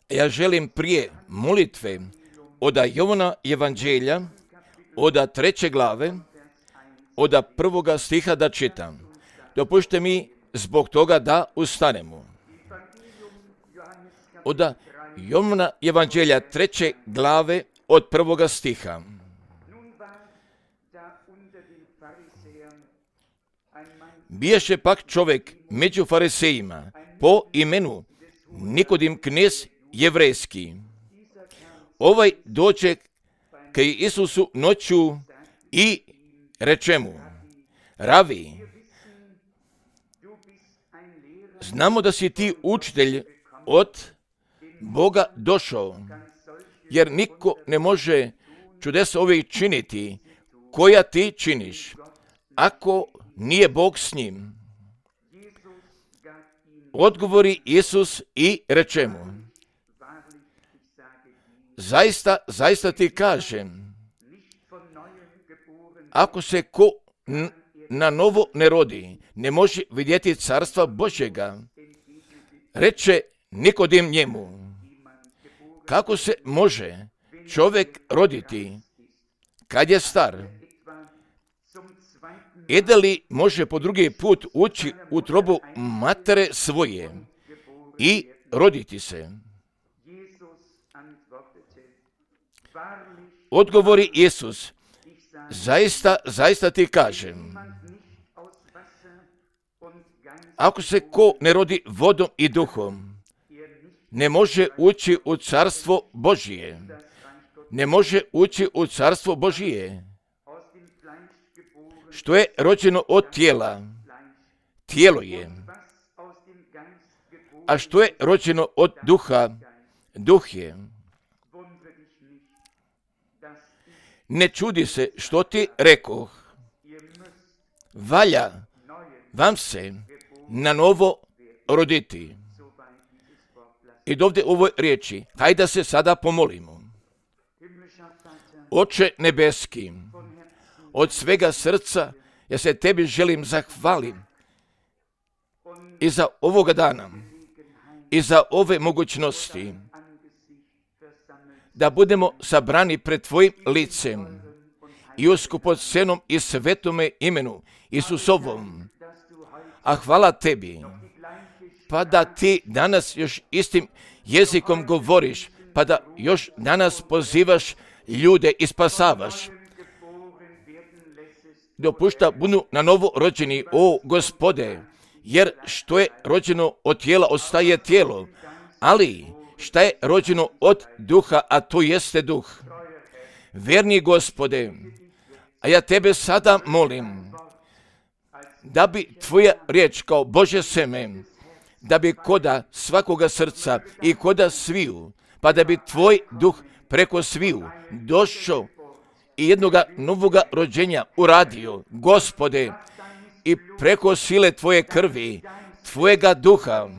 Ja želim prije molitve od Jovana evanđelja, od 3. glave, od 1. stiha da čitam. Dopušte mi zbog toga da ustanemo. Od Jovana evanđelja 3. glave od 1. stiha. Biješe pak čovjek među farisejima po imenu Nikodim, knez jevrejski. Ovaj dođe k Isusu noću i reče mu: Ravi, znamo da si ti učitelj od Boga došao, jer niko ne može čudesa ove činiti koja ti činiš, ako nije Bog s njim. Odgovori Isus i reče mu: Zaista ti kažem, ako se ko na novo ne rodi, ne može vidjeti carstva Božjega. Reče Nikodim njemu: Kako se može čovjek roditi kad je star? Da li može po drugi put ući u utrobu matere svoje i roditi se? Odgovori Isus: Zaista ti kažem, ako se ko ne rodi vodom i duhom, ne može ući u carstvo Božije. Ne može ući u carstvo Božije. Što je rođeno od tijela, tijelo je. A što je rođeno od duha, duh je. Ne čudi se što ti rekoh, valja vam se na novo roditi. I dovde u ovoj riječi, hajde se sada pomolimo. Oče nebeski, od svega srca ja se tebi želim zahvalim i za ovoga dana i za ove mogućnosti da budemo sabrani pred tvojim licem i u skupocenom i svetome imenu Isusovom. A hvala tebi, pa da ti danas još istim jezikom govoriš, pa da još danas pozivaš ljude i spasavaš. Dopušta budu na novo rođeni, o Gospode, jer što je rođeno od tijela ostaje tijelo, ali šta je rođeno od duha, a to jeste duh. Verni Gospode, a ja tebe sada molim da bi tvoja riječ kao Božje seme, da bi koda svakoga srca i koda sviju, pa da bi tvoj duh preko sviju došao i jednoga novoga rođenja uradio, Gospode, i preko sile tvoje krvi, tvojega duha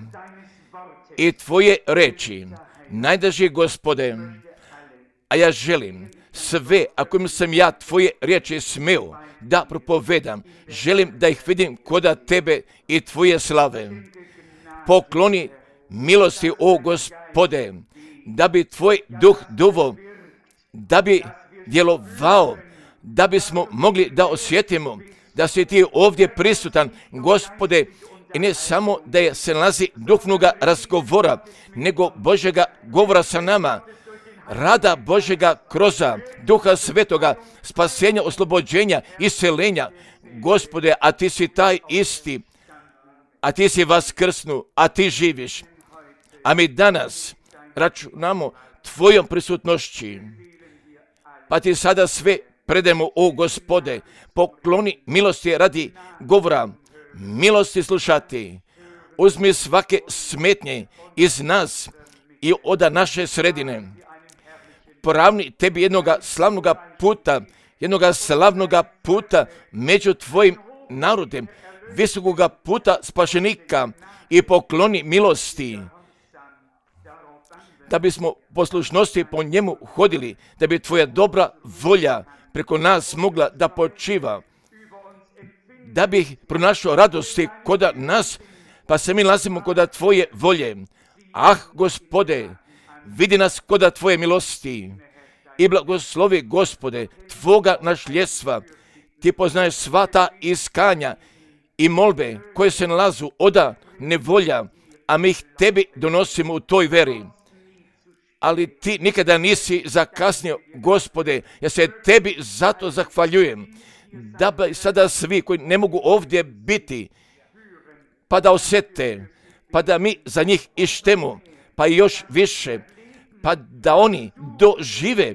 i tvoje reči, najdraži Gospode, a ja želim sve, ako sam ja tvoje riječi smeo da propovedam, želim da ih vidim koda tebe i tvoje slave. Pokloni milosti, o Gospode, da bi tvoj duh duvo, da bi djelovao, da bismo mogli da osjetimo da si ti ovdje prisutan, Gospode, i ne samo da se nalazi duhovnoga razgovora, nego Božjega govora sa nama, rada Božjega kroz Duha Svetoga, spasenja, oslobođenja, isceljenja. Gospode, a ti si taj isti, a ti si vaskrsnu, a ti živiš. A mi danas računamo tvojom prisutnošću, pa ti sada sve predemo, o Gospode, pokloni milosti radi govora, milosti slušati. Uzmi svake smetnje iz nas i od naše sredine. Poravni tebi jednoga slavnoga puta među tvojim narodem, visokoga puta spašenika, i pokloni milosti, da bismo poslušnosti po njemu hodili, da bi tvoja dobra volja preko nas mogla da počiva, da bi pronašao radosti koda nas, pa se mi nalazimo koda tvoje volje. Gospode, vidi nas koda Tvoje milosti i blagoslovi, Gospode, Tvoga našljedstva. Ti poznaješ sva ta iskanja i molbe koje se nalazu oda nevolja, a mi ih Tebi donosimo u toj veri. Ali Ti nikada nisi zakasnio, Gospode, ja se Tebi zato zahvaljujem, da bi sada svi koji ne mogu ovdje biti, pa da osjete, pa da mi za njih ištemo, pa i još više, pa da oni dožive,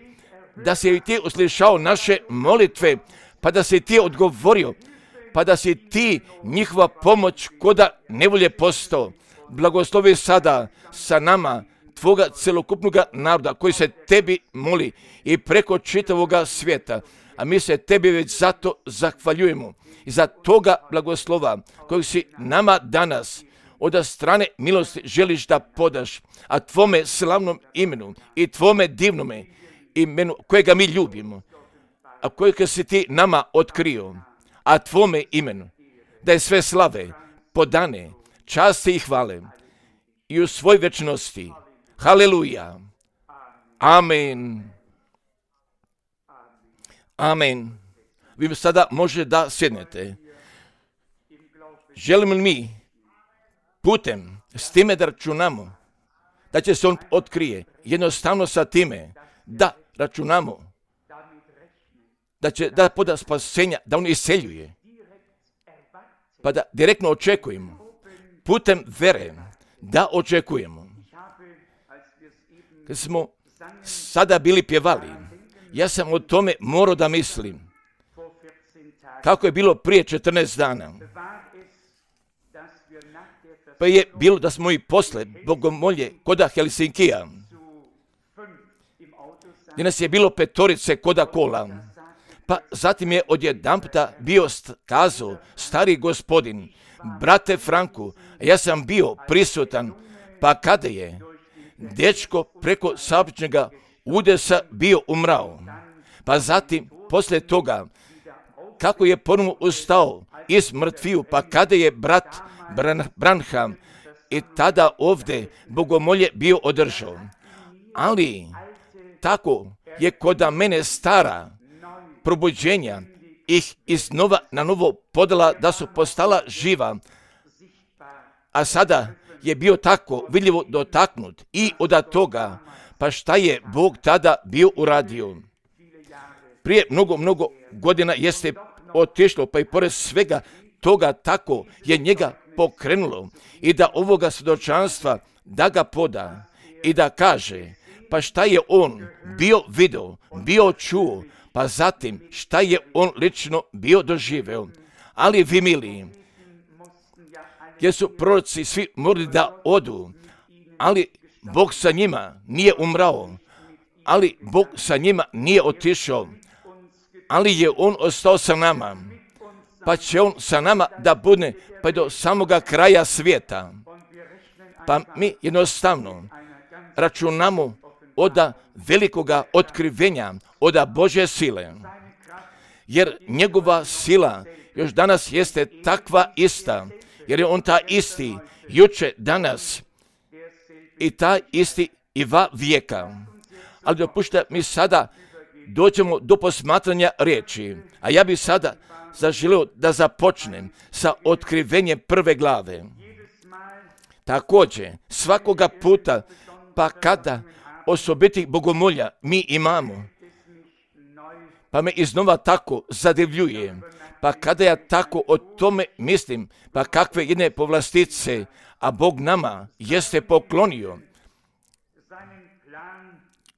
da si Ti uslišao naše molitve, pa da si Ti odgovorio, pa da si Ti njihova pomoć koda nevolje postao. Blagoslovi sada sa nama Tvoga celokupnoga naroda koji se Tebi moli i preko čitavoga svijeta. A mi se Tebi već zato zahvaljujemo i za toga blagoslova kojeg si nama danas od strane milosti želiš da podaš, a Tvome slavnom imenu i Tvome divnome imenu kojega mi ljubimo, a kojega si Ti nama otkrio, a Tvome imenu da je sve slave, podane, časti i hvale i u svoj večnosti. Haleluja. Amen. Amen. Vi sada može da sjednete. Želimo li mi putem s time da računamo da će se on otkrije, jednostavno sa time da računamo da će da poda spasenja, da on iseljuje, pa da direktno očekujemo putem vere da očekujemo. Kad smo sada bili pjevali, ja sam o tome morao da mislim. Kako je bilo prije 14 dana. Pa je bilo da smo i posle bogomolje koda Helsinkija, gdje nas je bilo 5 koda kola. Pa zatim je odjedanputa bio kazao stari gospodin, brate Franku, ja sam bio prisutan, pa kada je dečko preko saobraćajnoga udesa bio umrao. Pa zatim, poslije toga, kako je ponovno ustao iz mrtviju, pa kada je brat Branham i tada ovdje bogomolje bio održao. Ali, tako je koda mene stara probuđenja ih iznova na novo podala da su postala živa, a sada je bio tako vidljivo dotaknut i od toga, pa šta je Bog tada bio uradio. Prije mnogo godina jeste otišlo, pa i pored svega toga tako je njega pokrenulo i da ovoga svjedočanstva da ga poda i da kaže, pa šta je on bio video, bio čuo, pa zatim šta je on lično bio doživeo. Ali vi mili, jer su proroci svi morali da odu, ali Bog sa njima nije umrao, ali Bog sa njima nije otišao, ali je on ostao sa nama, pa će on sa nama da bude pa do samoga kraja svijeta. Pa mi jednostavno računamo od velikoga otkrivenja, od Božje sile, jer njegova sila još danas jeste takva ista, jer je on ta isti juče, danas i ta isti i va vijeka. Ali dopušta mi sada dođemo do posmatranja riječi, a ja bih sada zaželio da započnem sa otkrivenjem prve glave. Također, svakoga puta, pa kada osobitih bogomolja mi imamo, pa me iznova tako zadivljuje, pa kada ja tako o tome mislim, pa kakve jedne povlastice, a Bog nama jeste poklonio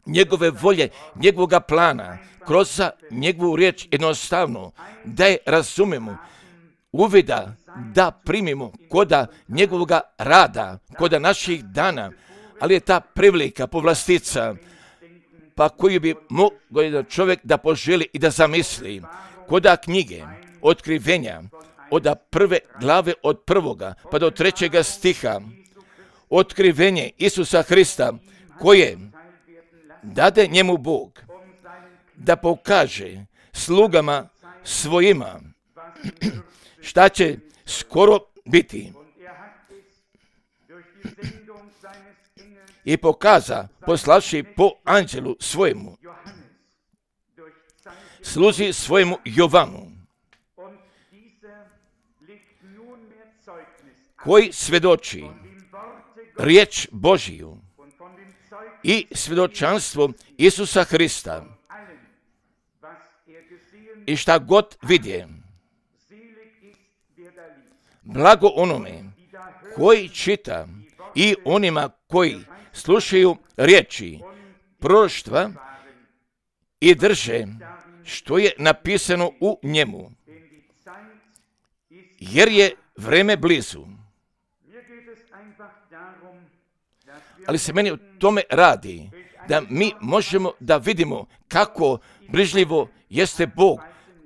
njegove volje, njegovoga plana, kroz njegovu riječ jednostavno, da je razumemo, uvida, da primimo koda njegovoga rada, koda naših dana, ali je ta prevelika povlastica, pa koju bi mogao jedan čovjek da poželi i da zamisli, koda knjige otkrivenja, od prve glave od 1. pa do 3. stiha, otkrivenje Isusa Hrista, koje dade njemu Bog da pokaže slugama svojima šta će skoro biti. i pokaza poslavši po anđelu svojemu, sluzi svojemu Jovanu, koji svjedoči riječ Božiju i svjedočanstvo Isusa Hrista i šta god vidje. Blago onome koji čita i onima koji slušaju riječi proroštva i drže što je napisano u njemu, jer je vreme blizu. Ali se meni u tome radi da mi možemo da vidimo kako brižljivo jeste Bog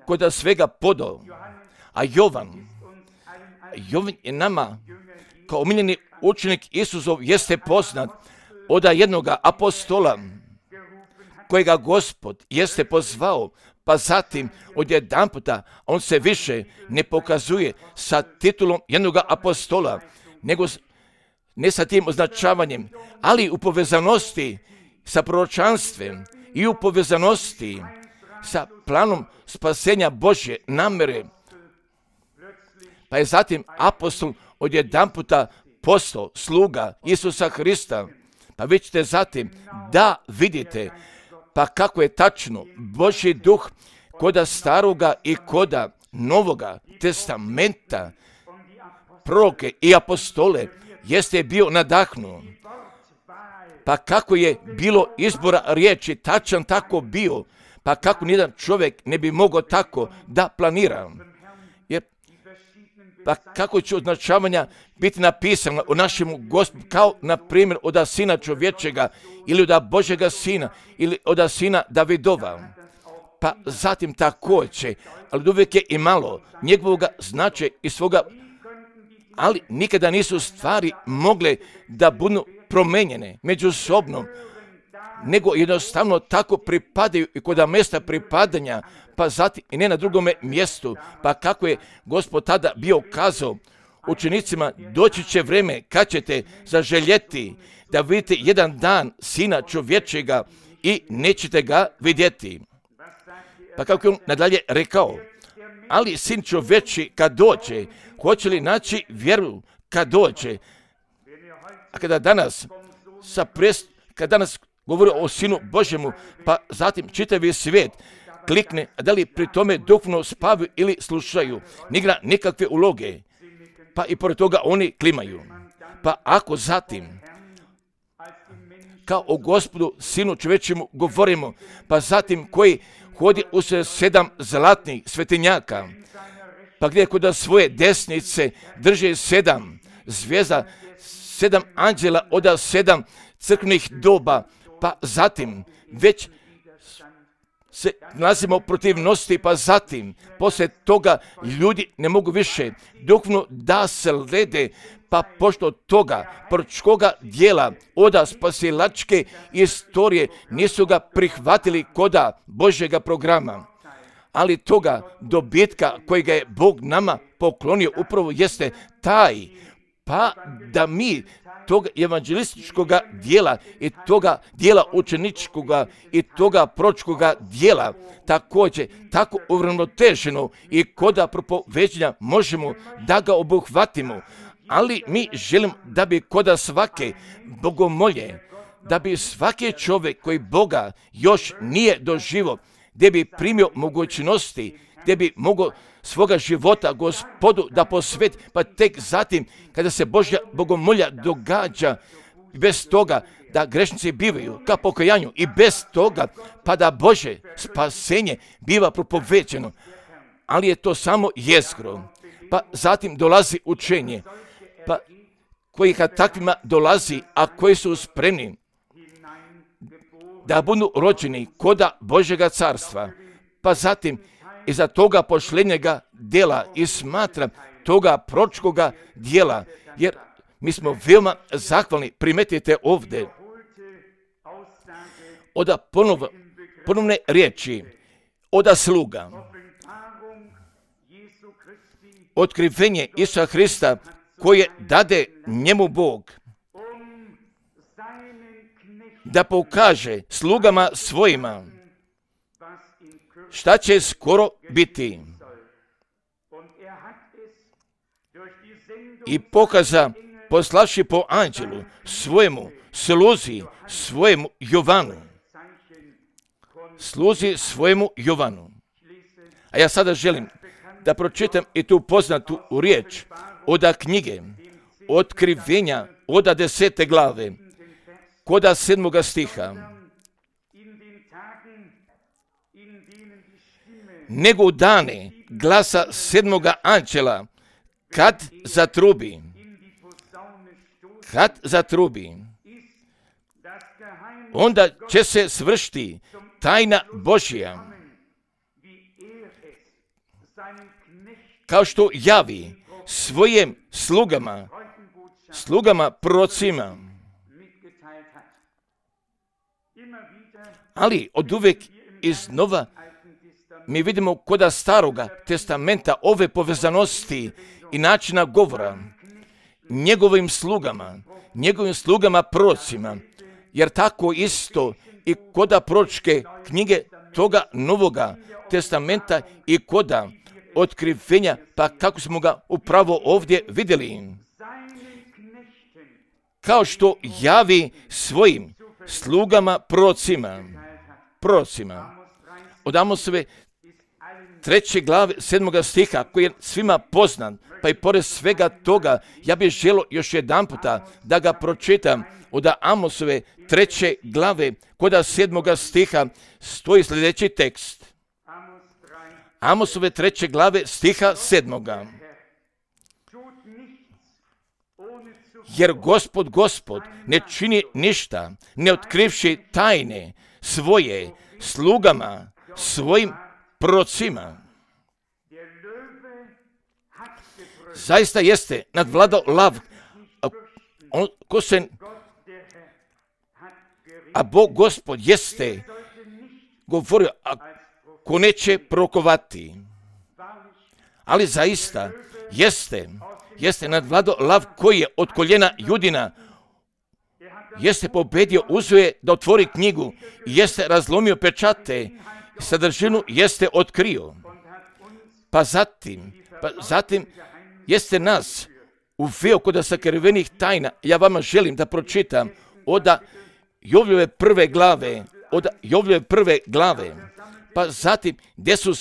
kod svega podao. A Jovan je nama kao omiljeni učenik Isusov jeste poznat od jednoga apostola kojega Gospod jeste pozvao, pa zatim odjedanputa on se više ne pokazuje sa titulom jednoga apostola, nego ne sa tim označavanjem, ali u povezanosti sa proročanstvem i u povezanosti sa planom spasenja Božje namere. Pa je zatim apostol odjedanputa postao sluga Isusa Hrista. Pa vi ćete zatim da vidite pa kako je tačno Božji duh koda staroga i koda novoga testamenta, proroke i apostole jeste bio nadahnuo. Pa kako je bilo izbora riječi, tačan tako bio, pa kako nijedan čovjek ne bi mogao tako da planira. Pa kako će označavanja biti napisano o našemu Gospodu, kao na primjer od Sina čovječega ili od Božjega Sina ili od Sina Davidova. Pa zatim također, ali uvijek je i malo njegovoga značaja i svoga, ali nikada nisu stvari mogle da budu promenjene međusobno, nego jednostavno tako pripadaju i kod mjesta pripadanja, pa zatim i ne na drugome mjestu. Pa kako je Gospod tada bio kazao učenicima, doći će vreme kad ćete zaželjeti da vidite jedan dan Sina čovječega i nećete ga vidjeti. Pa kako je on nadalje rekao, ali Sin čovječi kad dođe, hoće li naći vjeru kad dođe? A kada danas govori o Sinu Božjemu, pa zatim čitavi svijet klikne, a da li pri tome duhovno spavaju ili slušaju, n'igra nikakve uloge, pa i pored toga oni klimaju. Pa ako zatim kao o Gospodu Sinu čovječemu govorimo, pa zatim koji hodi u 7 zlatnih svetinjaka, pa gdje kod svoje desnice drže 7 zvijezda, 7 anđela od 7 crkvenih doba, pa zatim već se nalazimo protivnosti, pa zatim poslije toga ljudi ne mogu više duhovno da se lede, pa pošto toga proročkoga dijela od spasilačke istorije nisu ga prihvatili koda Božjega programa. Ali toga dobitka kojega je Bog nama poklonio upravo jeste taj, pa da mi toga evanđelističkoga dijela i toga dijela učeničkoga i toga proročkoga dijela također tako uravnoteženo i koda propoveđenja možemo da ga obuhvatimo. Ali mi želimo da bi koda svake bogomolje, da bi svaki čovjek koji Boga još nije doživio, gdje bi primio mogućnosti, gdje bi mogao svoga života Gospodu da posveti, pa tek zatim kada se Božja bogomolja događa, bez toga da grešnici bivaju ka pokajanju i bez toga pa da Božje spasenje biva propoveđeno. Ali je to samo jezgro. Pa zatim dolazi učenje, pa koji kad takvima dolazi, a koji su spremni da budu rođeni koda Božjega carstva, pa zatim iza toga pošljenjega djela i smatra toga proročkoga djela, jer mi smo veoma zahvalni, primetite ovdje, od ponovne riječi, od sluga, otkrivenje Isusa Hrista koje dade njemu Bog, da pokaže slugama svojima šta će skoro biti. I pokaza poslavši po anđelu svojemu sluzi, svojemu Jovanu. Sluzi svojemu Jovanu. A ja sada želim da pročitam i tu poznatu riječ oda knjige Otkrivenja, oda 10. glave, koda 7. stiha. Nego u dane glasa 7. anđela, kad zatrubi, onda će se svršiti tajna Božja, kao što javi svojim slugama prorocima. Ali od uvijek iznova mi vidimo koda Staroga testamenta ove povezanosti i načina govora njegovim slugama prorocima, jer tako isto i koda proročke knjige toga Novoga testamenta i koda Otkrivenja, pa kako smo ga upravo ovdje vidjeli. Kao što javi svojim slugama prorocima. Od Amosove 3. glave 7. stiha, koji je svima poznan, pa i pored svega toga, ja bih želio još jedan puta da ga pročitam. Od Amosove 3. glave, koda 7. stiha, stoji sljedeći tekst. Amosove 3. glave stiha 7. Jer Gospod ne čini ništa, ne otkrivši tajne svoje slugama, svojim prorocima. Zaista jeste nadvladao lav, a Bog Gospod jeste govorio, ko neće prorokovati. Ali zaista jeste nadvladao lav koji je od koljena Judina, jeste pobedio, uzeo je da otvori knjigu, jeste razlomio pečate, sadržinu jeste otkrio. Pa zatim jeste nas uveo kod sakrivenih tajna. Ja vama želim da pročitam od Jovljeve prve glave, pa zatim gdje su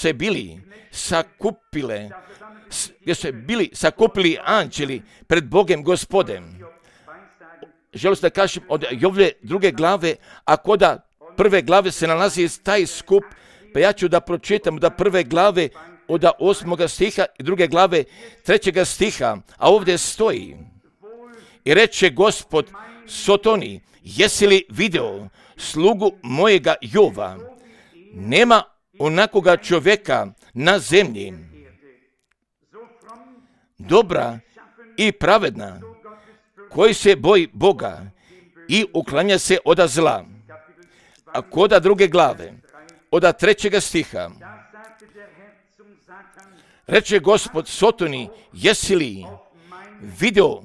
bili sakupili anđeli pred Bogem Gospodem. Želim da kažem od Jovljeve 2. glave, a koda 1. glave se nalazi taj skup, pa ja ću da pročitam da 1. glave od 8. stiha i 2. glave 3. stiha, a ovdje stoji: i reče Gospod Sotoni, jesi li video slugu mojega Jova? Nema onakoga čovjeka na zemlji, dobra i pravedna, koji se boji Boga i uklanja se od zla. A koda 2. glave, od 3. stiha, reče Gospod Sotoni, jesi li video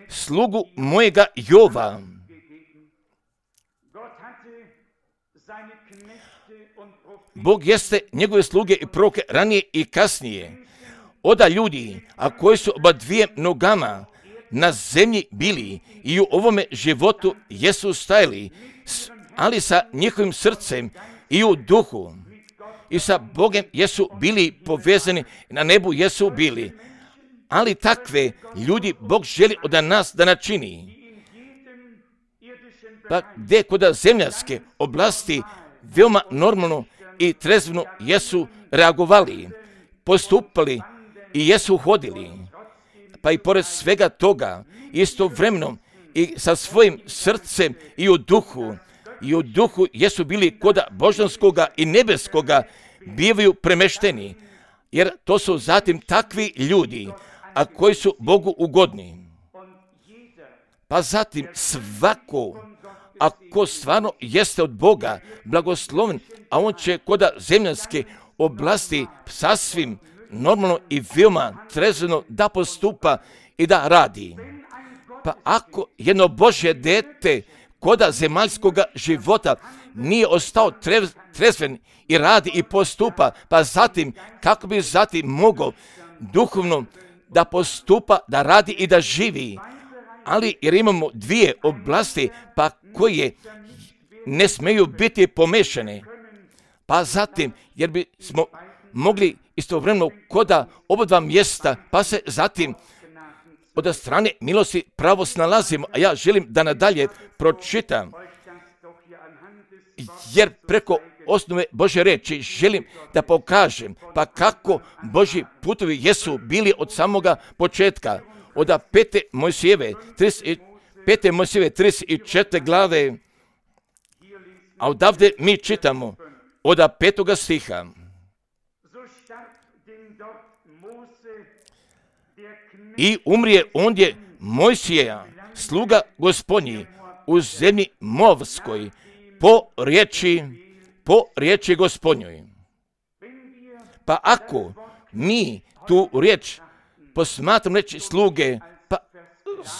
slugu mojega Jova? Bog jeste njegove sluge i proroke ranije i kasnije. Oda ljudi, a koji su oba dvije nogama na zemlji bili i u ovome životu jesu stajali, ali sa njihovim srcem i u duhu i sa Bogom jesu bili povezani, na nebu jesu bili. Ali takve ljudi Bog želi od nas da načini. Pa gdje kod zemljanske oblasti veoma normalno i trezveno jesu reagovali, postupali i jesu hodili. Pa i pored svega toga, istovremeno i sa svojim srcem i u duhu jesu bili koda božanskoga i nebeskoga bivaju premešteni. Jer to su zatim takvi ljudi, a koji su Bogu ugodni. Pa zatim svako, ako stvarno jeste od Boga blagosloven, a on će koda zemljanske oblasti sasvim normalno i veoma trezveno da postupa i da radi. Pa ako jedno Božje dete koda zemaljskoga života nije ostao trezven i radi i postupa, pa zatim kako bi zatim mogao duhovno da postupa, da radi i da živi. Ali jer imamo dvije oblasti pa koje ne smeju biti pomešane. Pa zatim jer bi smo mogli istovremeno koda oba dva mjesta, pa se zatim od strane milosti pravo snalazimo. A ja želim da nadalje pročitam, jer preko osnove Božje reči želim da pokažem pa kako Božji putovi jesu bili od samoga početka. Od 5. Mojsijeve 34. glave, a odavde mi čitamo od 5. stiha. I umrije ondje Mojsija, sluga Gospodnji, u zemlji Moavskoj, po riječi Gospodnjoj. Pa ako mi tu riječ posmatram reći sluge, pa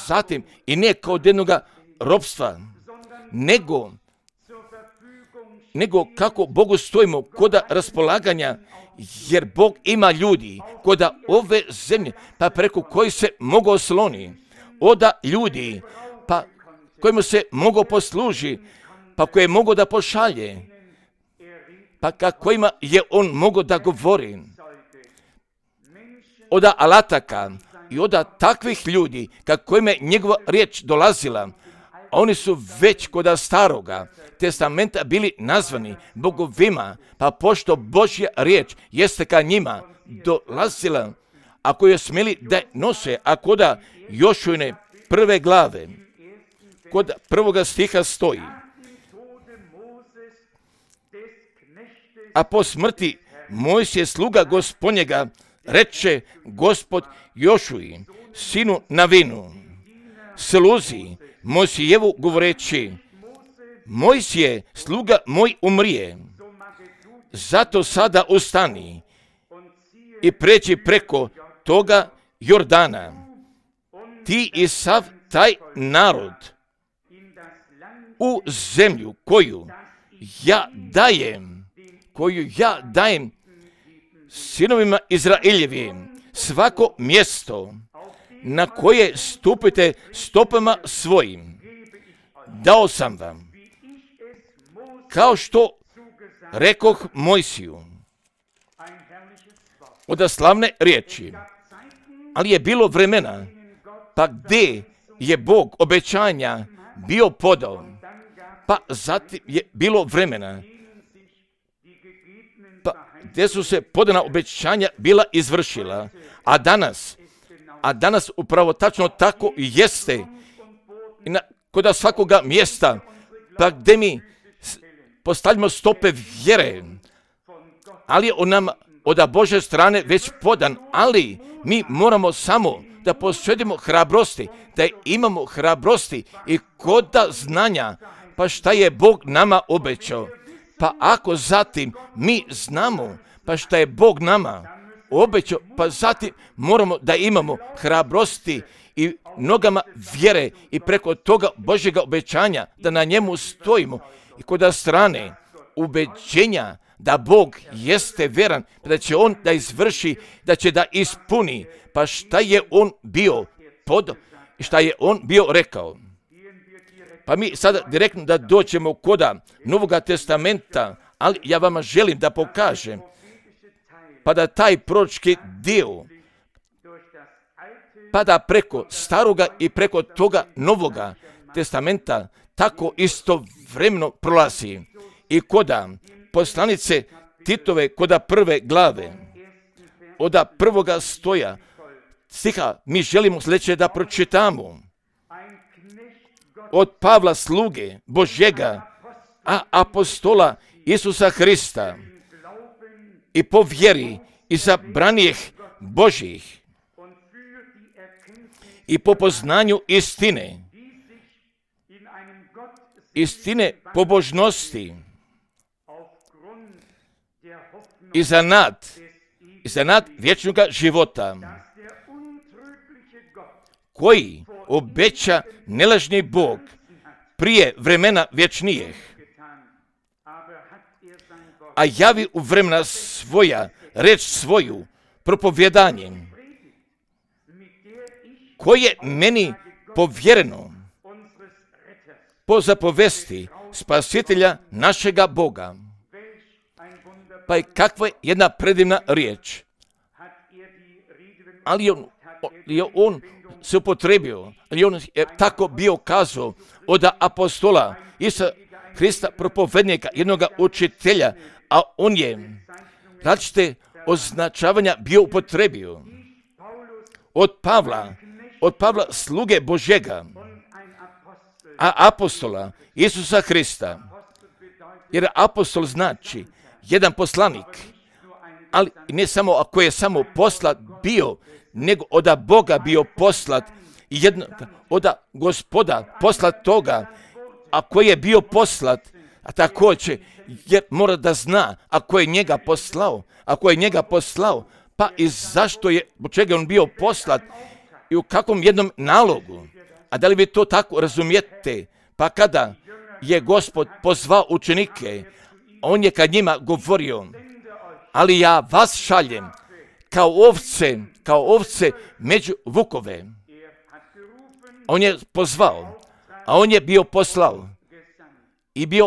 zatim i ne kao od jednoga ropstva, nego kako Bogu stojimo koda raspolaganja, jer Bog ima ljudi koda ove zemlje, pa preko koji se mogu osloni, oda ljudi, pa kojemu se mogu posluži, pa koje mogu da pošalje, pa kojima je on mogo da govori. Oda alataka i oda takvih ljudi kojima je njegova riječ dolazila, a oni su već koda staroga testamenta bili nazvani bogovima, pa pošto Božja riječ jeste ka njima dolazila, ako je smjeli da je nose, a koda Jošujne 1. glave, kod 1. stiha stoji: a po smrti Mojsije sluga Gospodnjega reče Gospod Jošuji, sinu Navinu, sluzi Mojsijevu govoreći: Mojsije, sluga moj umrije, zato sada ustani i pređi preko toga Jordana, ti i sav taj narod, u zemlju koju ja dajem sinovima Izraeljevim, svako mjesto na koje stupite stopama svojim, dao sam vam, kao što rekoh Mojsiju. Od slavne riječi. Ali je bilo vremena, pa gdje je Bog obećanja bio podao, pa zatim je bilo vremena, pa gdje su se podana obećanja bila izvršila, a danas upravo tačno tako i jeste, i kod svakoga mjesta, pa gdje mi postavljamo stope vjere, ali je on nam od Božje strane već podan, ali mi moramo samo da posjedimo hrabrosti, da imamo hrabrosti i koda znanja, pa šta je Bog nama obećao. Pa ako zatim mi znamo, pa šta je Bog nama obećao, pa zatim moramo da imamo hrabrosti i nogama vjere i preko toga Božjega obećanja da na njemu stojimo i kod strane ubeđenja da Bog jeste veran, da će on da izvrši, da će da ispuni, pa šta je on bio i šta je on bio rekao. Pa mi sada direktno da dođemo koda Novoga testamenta, ali ja vama želim da pokažem, pa da taj proročki dio, pa da preko staroga i preko toga Novoga testamenta tako istovremeno prolazi. I koda poslanice Titove, koda 1. glave, od 1. stoja stiha, mi želimo sljedeće da pročitamo. Od Pavla sluge Božjega, a apostola Isusa Hrista, i po vjeri izabranijih Božjih, i po poznanju istine pobožnosti, i za nad vječnoga života, koji obeća nelažni Bog prije vremena vječnijih, a javi u vremena svoja reč svoju propovjedanjem, koje meni povjereno po zapovesti Spasitelja našega Boga. Pa je kakva jedna predivna riječ. Ali on se upotrebio, ali on je tako bio kazao od apostola Isusa Hrista, propovednika, jednog učitelja, a on je različite označavanja bio upotrebio. Od Pavla sluge Božjega, a apostola Isusa Hrista. Jer apostol znači jedan poslanik, ali ne samo ako je samo poslat bio, nego od Boga bio poslat, od Gospoda poslat toga, a koji je bio poslat, a također jer mora da zna ako je njega poslao, pa i zašto je, po čega on bio poslat i u kakvom jednom nalogu. A da li vi to tako razumijete? Pa kada je Gospod pozvao učenike, on je kad njima govorio, ali ja vas šaljem kao ovce među vukove. On je pozvao, a on je bio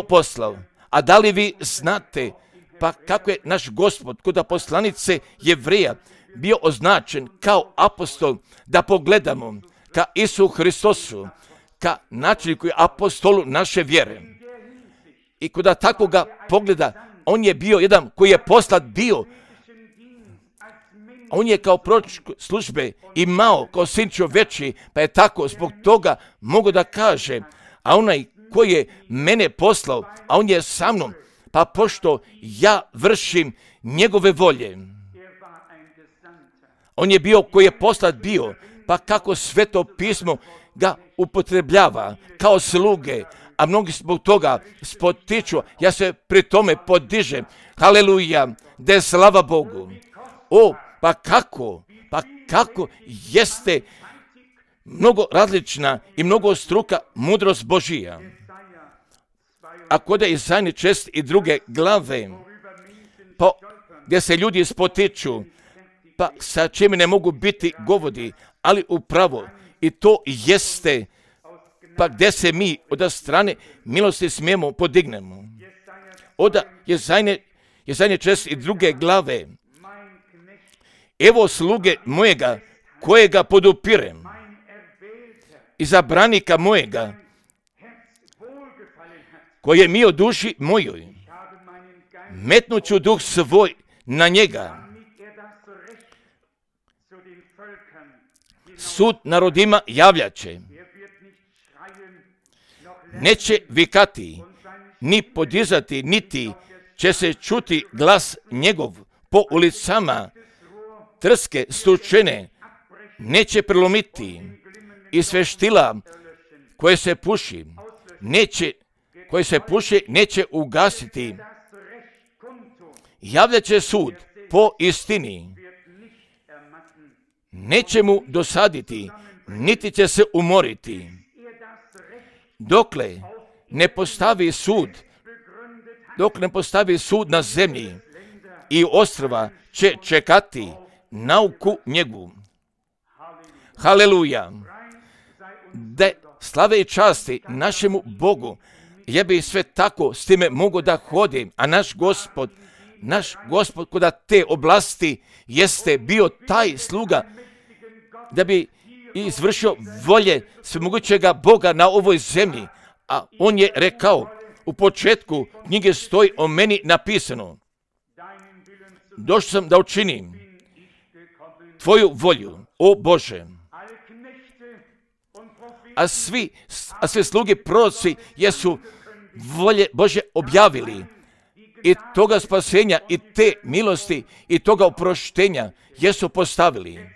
poslao. A da li vi znate, pa kako je naš Gospod kod poslanice Jevreja bio označen kao apostol, da pogledamo ka Isu Hristosu, ka načelniku i apostolu naše vjere. I kod takvoga pogleda, on je bio jedan koji je poslat bio. On je kao proročke službe imao kao sin čovječji, pa je tako zbog toga mogu da kaže, a onaj koji je mene poslao, a on je sa mnom, pa pošto ja vršim njegove volje. On je bio koji je poslat bio, pa kako Sveto pismo ga upotrebljava kao sluge, a mnogi zbog toga spotiču, ja se pri tome podižem, haleluja, da je slava Bogu. Pa kako jeste mnogo različna i mnogo struka mudrost Božija. A kod je Izaja 62. glave, pa gdje se ljudi spotiču, pa sa čim ne mogu biti govori, ali upravo i to jeste, pa gdje se mi od strane milosti smijemo podignemo. Od Izaja 62. glave, evo sluge mojega, kojega podupirem, izabranika mojega, koje mi o duši mojoj, metnuću duh svoj na njega. Sud narodima javljaće, neće vikati, ni podizati, niti će se čuti glas njegov po ulicama, trske stučene neće prelomiti i sveštila koje se puši neće ugasiti. Javljat će sud po istini, neće mu dosaditi, niti će se umoriti, dokle ne postavi sud na zemlji, i ostrva će čekati nauku njegu. Haleluja! Da slave i časti našemu Bogu. Ja bi sve tako s time mogu da hodim, a naš Gospod kod te oblasti jeste bio taj sluga da bi izvršio volje svemogućega Boga na ovoj zemlji. A on je rekao, u početku knjige stoji o meni napisano, došao sam da učinim tvoju volju, o Bože. A sve sluge proroci jesu volje Bože objavili i toga spasenja i te milosti i toga oproštenja jesu postavili.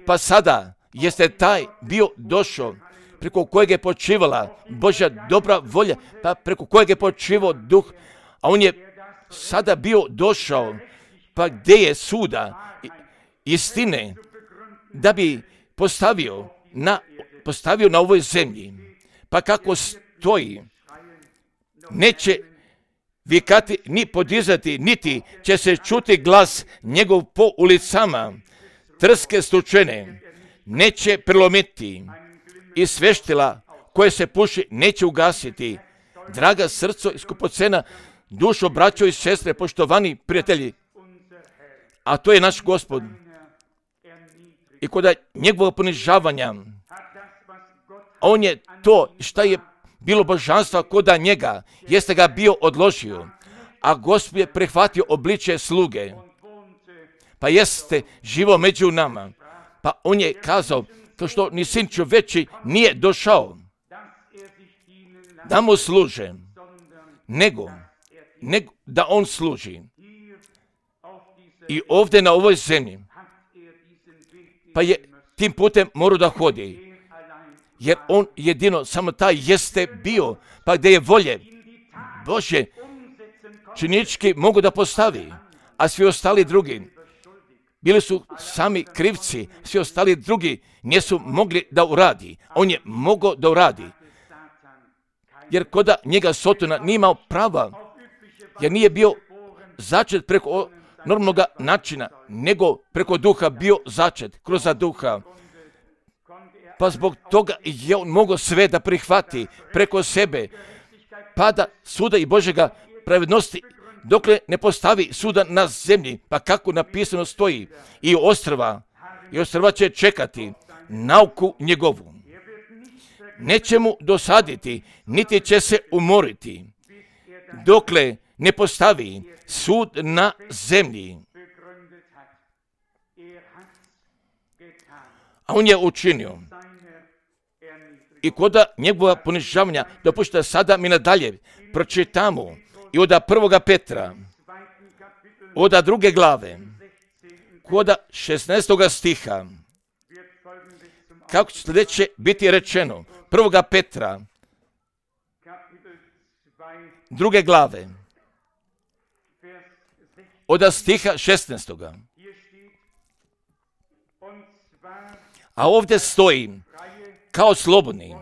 Pa sada jeste taj bio došao preko kojeg je počivala Božja dobra volja, pa preko kojeg je počivao duh, a on je sada bio došao, pa gdje je suda istine, da bi postavio na ovoj zemlji. Pa kako toj neće vikati ni podizati, niti će se čuti glas njegov po ulicama. Trske stučene neće prelomiti i sveštila koje se puši neće ugasiti. Draga srco i skupocena dušo, braćo i sestre, poštovani prijatelji, a to je naš Gospod. I kod njegovog ponižavanja, on je to šta je bilo božanstva koda njega, jeste ga bio odložio, a Gospod je prihvatio obličje sluge, pa jeste živo među nama. Pa on je kazao, to što ni sin čoveči nije došao da mu služe, nego da on služi. I ovdje na ovoj zemlji, pa je tim putem morao da hodi, jer on jedino samo taj jeste bio, pa gdje je volje Bože činički mogu da postavi, a svi ostali drugi bili su sami krivci, svi ostali drugi nisu mogli da uradi. On je mogao da uradi, jer koda njega Sotona nije imao prava, jer nije bio začet preko normalnog načina, nego preko duha bio začet, kroz duha. Pa zbog toga je on mogao sve da prihvati preko sebe, pa da suda i Božega pravednosti, dokle ne postavi suda na zemlji, pa kako napisano stoji, i ostrva će čekati nauku njegovu. Neće mu dosaditi, niti će se umoriti, dokle ne postavi sud na zemlji. A on je učinio. I koda njegova ponižavanja, dopušta sada mi nadalje pročitamo i od 1. Petra, od 2. glave, koda 16. stiha, kako će sljedeće biti rečeno. 1. Petra, 2. glave, od stiha 16. A ovdje stoji kao slobodni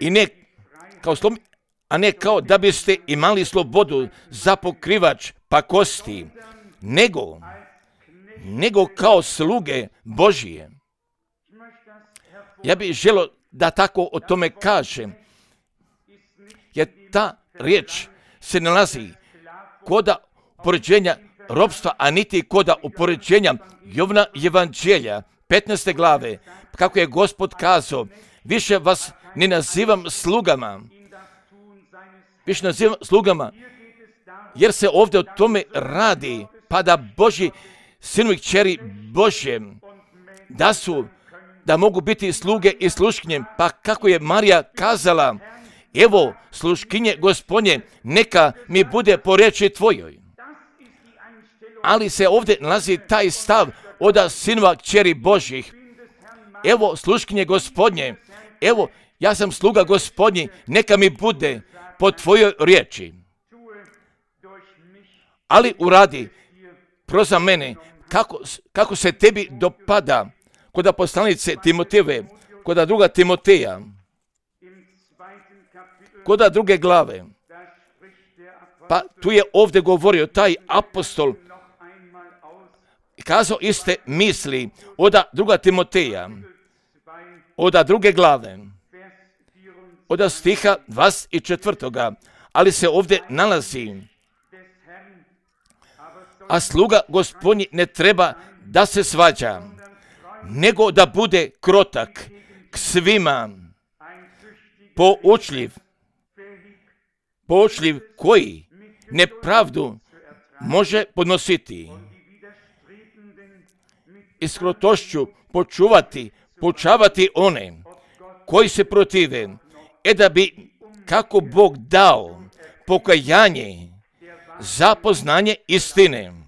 i ne kao slobodni, a ne kao da biste imali slobodu za pokrivač pakosti, nego kao sluge Božije. Ja bih želio da tako o tome kažem, jer ta riječ se nalazi koda upoređenja robstva, a niti koda upoređenja Jovna evanđelja 15. glave, kako je Gospod kazao, više vas ne nazivam slugama, jer se ovdje o tome radi, pa da Božji sinovi kćeri Božje, da mogu biti sluge i sluškinje, pa kako je Marija kazala, evo sluškinje Gospodnje, neka mi bude po riječi tvojoj. Ali se ovdje nalazi taj stav od sinova kćeri Božjih. Evo sluškinje Gospodnje, evo ja sam sluga Gospodnji, neka mi bude po tvojoj riječi. Ali uradi proza mene kako se tebi dopada, kod poslanice Timotejeve, kod 2. Timoteja, kod 2. glave. Pa tu je ovdje govorio taj apostol, kazao iste misli od 2. Timoteja, od 2. glave, od stiha 24. Ali se ovdje nalazi, a sluga Gospodnji ne treba da se svađa, nego da bude krotak k svima, poučljiv koji nepravdu može podnositi i s krotošću poučavati one koji se protive, da bi kako Bog dao pokajanje za poznanje istine,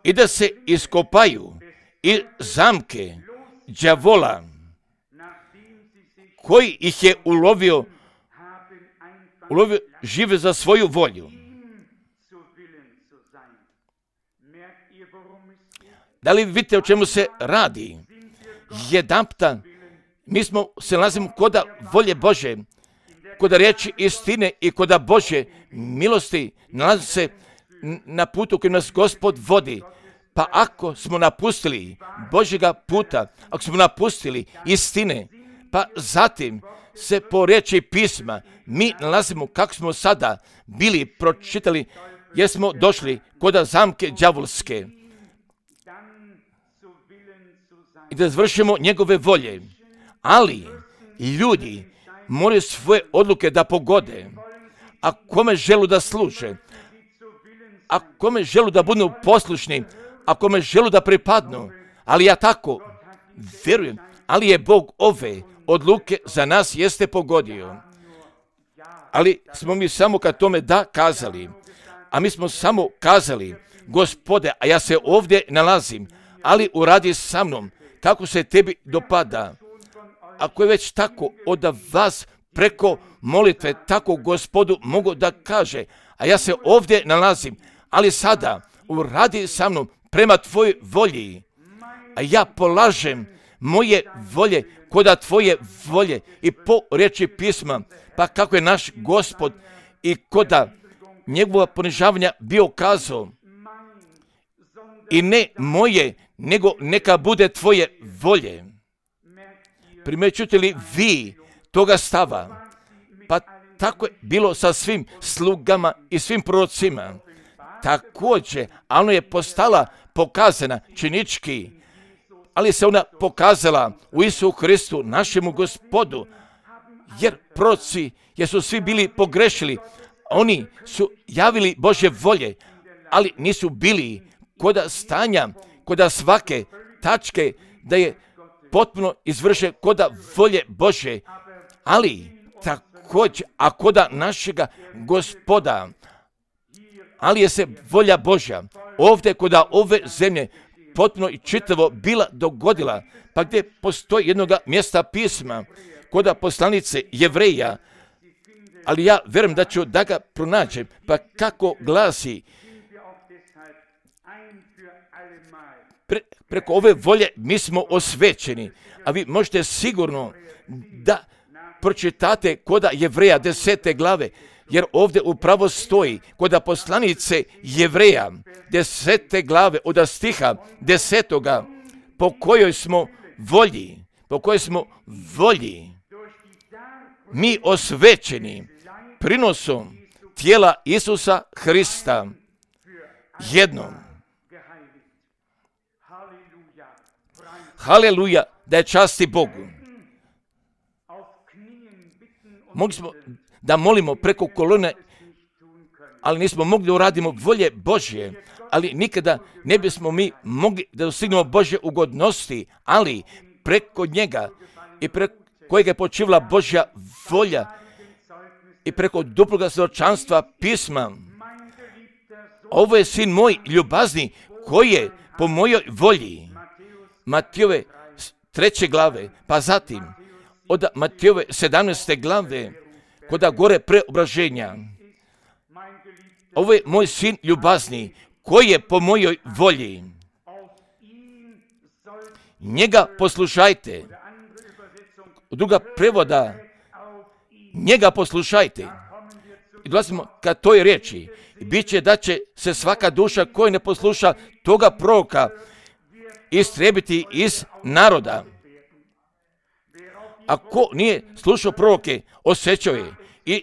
i da se iskopaju i zamke đavola koji ih je ulovio žive za svoju volju. Da li vidite o čemu se radi? Jedanputa mi se nalazimo koda volje Bože, koda riječi istine i koda Bože milosti, nalazi se na putu koji nas Gospod vodi. Pa ako smo napustili Božjega puta, ako smo napustili istine, pa zatim se po riječi pisma mi nalazimo kako smo sada bili pročitali, jer smo došli koda zamke đavolske i da završimo njegove volje. Ali ljudi moraju svoje odluke da pogode. A kome želu da služe, a kome želu da budu poslušni, a kome želu da pripadnu. Ali ja tako vjerujem, ali je Bog ove odluke za nas jeste pogodio. Ali smo mi samo kad tome da kazali, a mi smo samo kazali, Gospode, a ja se ovdje nalazim, ali uradi sa mnom kako se tebi dopada. Ako je već tako od vas preko molitve, tako Gospodu mogu da kaže, a ja se ovdje nalazim, ali sada uradi sa mnom prema tvojoj volji, a ja polažem moje volje koda tvoje volje i po riječi pisma, pa kako je naš Gospod i koda njegova ponižavanja bio kazao, i ne moje, nego neka bude tvoje volje. Primećujete li vi toga stava? Pa tako je bilo sa svim slugama i svim prorocima. Također, a ono je postala pokazana činički, ali se ona pokazala u Isusu Hristu, našemu Gospodu, jer proroci, jer su svi bili pogrešili, oni su javili Božje volje, ali nisu bili koda stanja, koda svake tačke da je potpuno izvrše koda volje Bože, ali također, a koda našega Gospoda, ali je se volja Božja ovdje koda ove zemlje potpuno i čitavo bila dogodila, pa gdje postoji jednoga mjesta pisma koda poslanice Jevreja, ali ja vjerujem da ću da ga pronađem, pa kako glasi, preko ove volje mi smo osvećeni, a vi možete sigurno da pročitate koda Jevreja 10. glave, jer ovdje upravo stoji koda poslanice Jevreja 10. glave od stiha 10. po kojoj smo volji mi osvećeni prinosom tijela Isusa Hrista jednom. Haleluja, da je časti Bogu. Mogli smo da molimo preko kolone, ali nismo mogli da uradimo volje Božje, ali nikada ne bismo mi mogli da dostignemo Božje ugodnosti, ali preko njega i preko kojeg je počivala Božja volja i preko duploga svjedočanstva pisma. Ovo je sin moj ljubazni koji je po mojoj volji. Matijove 3. glave, pa zatim od Matijove 17. glave, koda gore preobraženja. Ovo je moj sin ljubazni koji je po mojoj volji. Njega poslušajte. Druga prevoda, njega poslušajte. I dolazimo ka toj riječi. Bit će da će se svaka duša koja ne posluša toga proroka istrebiti iz naroda. Ako nije slušao proroke, osjećao je i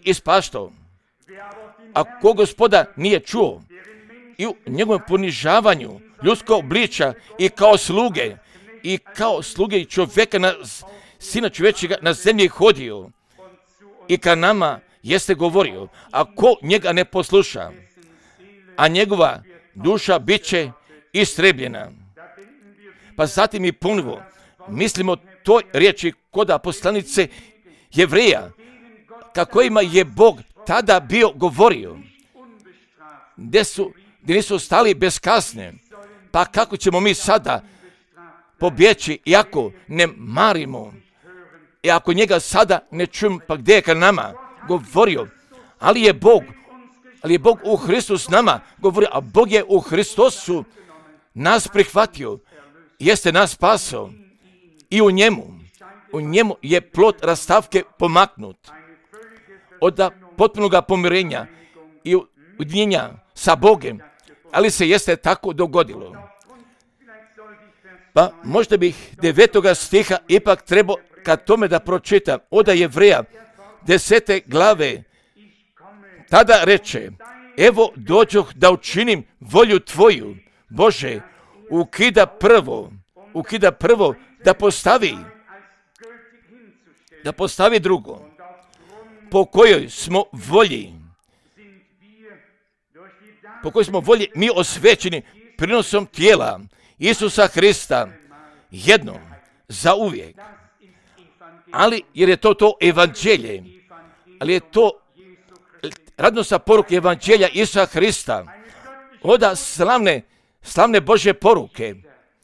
ispaštao. Ako Gospoda nije čuo i u njegovom ponižavanju ljudskog obličja i kao sluge i čovjeka, sina čovječega na zemlji hodio i ka nama jeste govorio, ako njega ne posluša, a njegova duša bit će istrebljena. Pa zatim i ponovo mislimo toj riječi koda poslanice Jevreja, kako ima je Bog tada bio govorio, gdje nisu ostali bez kazne. Pa kako ćemo mi sada pobjeći, iako ne marimo, i ako njega sada ne čujemo, pa gdje je ka nama govorio, ali je Bog ali je Bog u Hristu s nama, govori, a Bog je u Hristosu nas prihvatio, jeste nas spasao i u njemu je plod rastavke pomaknut od potpunog pomirenja i ujedinjenja sa Bogom, ali se jeste tako dogodilo. Pa možda bih 9. stiha ipak trebao kad tome da pročitam od Jevreja 10. glave. Tada reče, evo dođoh da učinim volju tvoju, Bože, ukida prvo da postavi drugo, po kojoj smo volji mi osvećeni prinosom tijela Isusa Hrista jednom za uvijek. Ali jer je to evanđelje, ali je to radosna poruka evanđelja Isusa Hrista, oda slavne Božje poruke,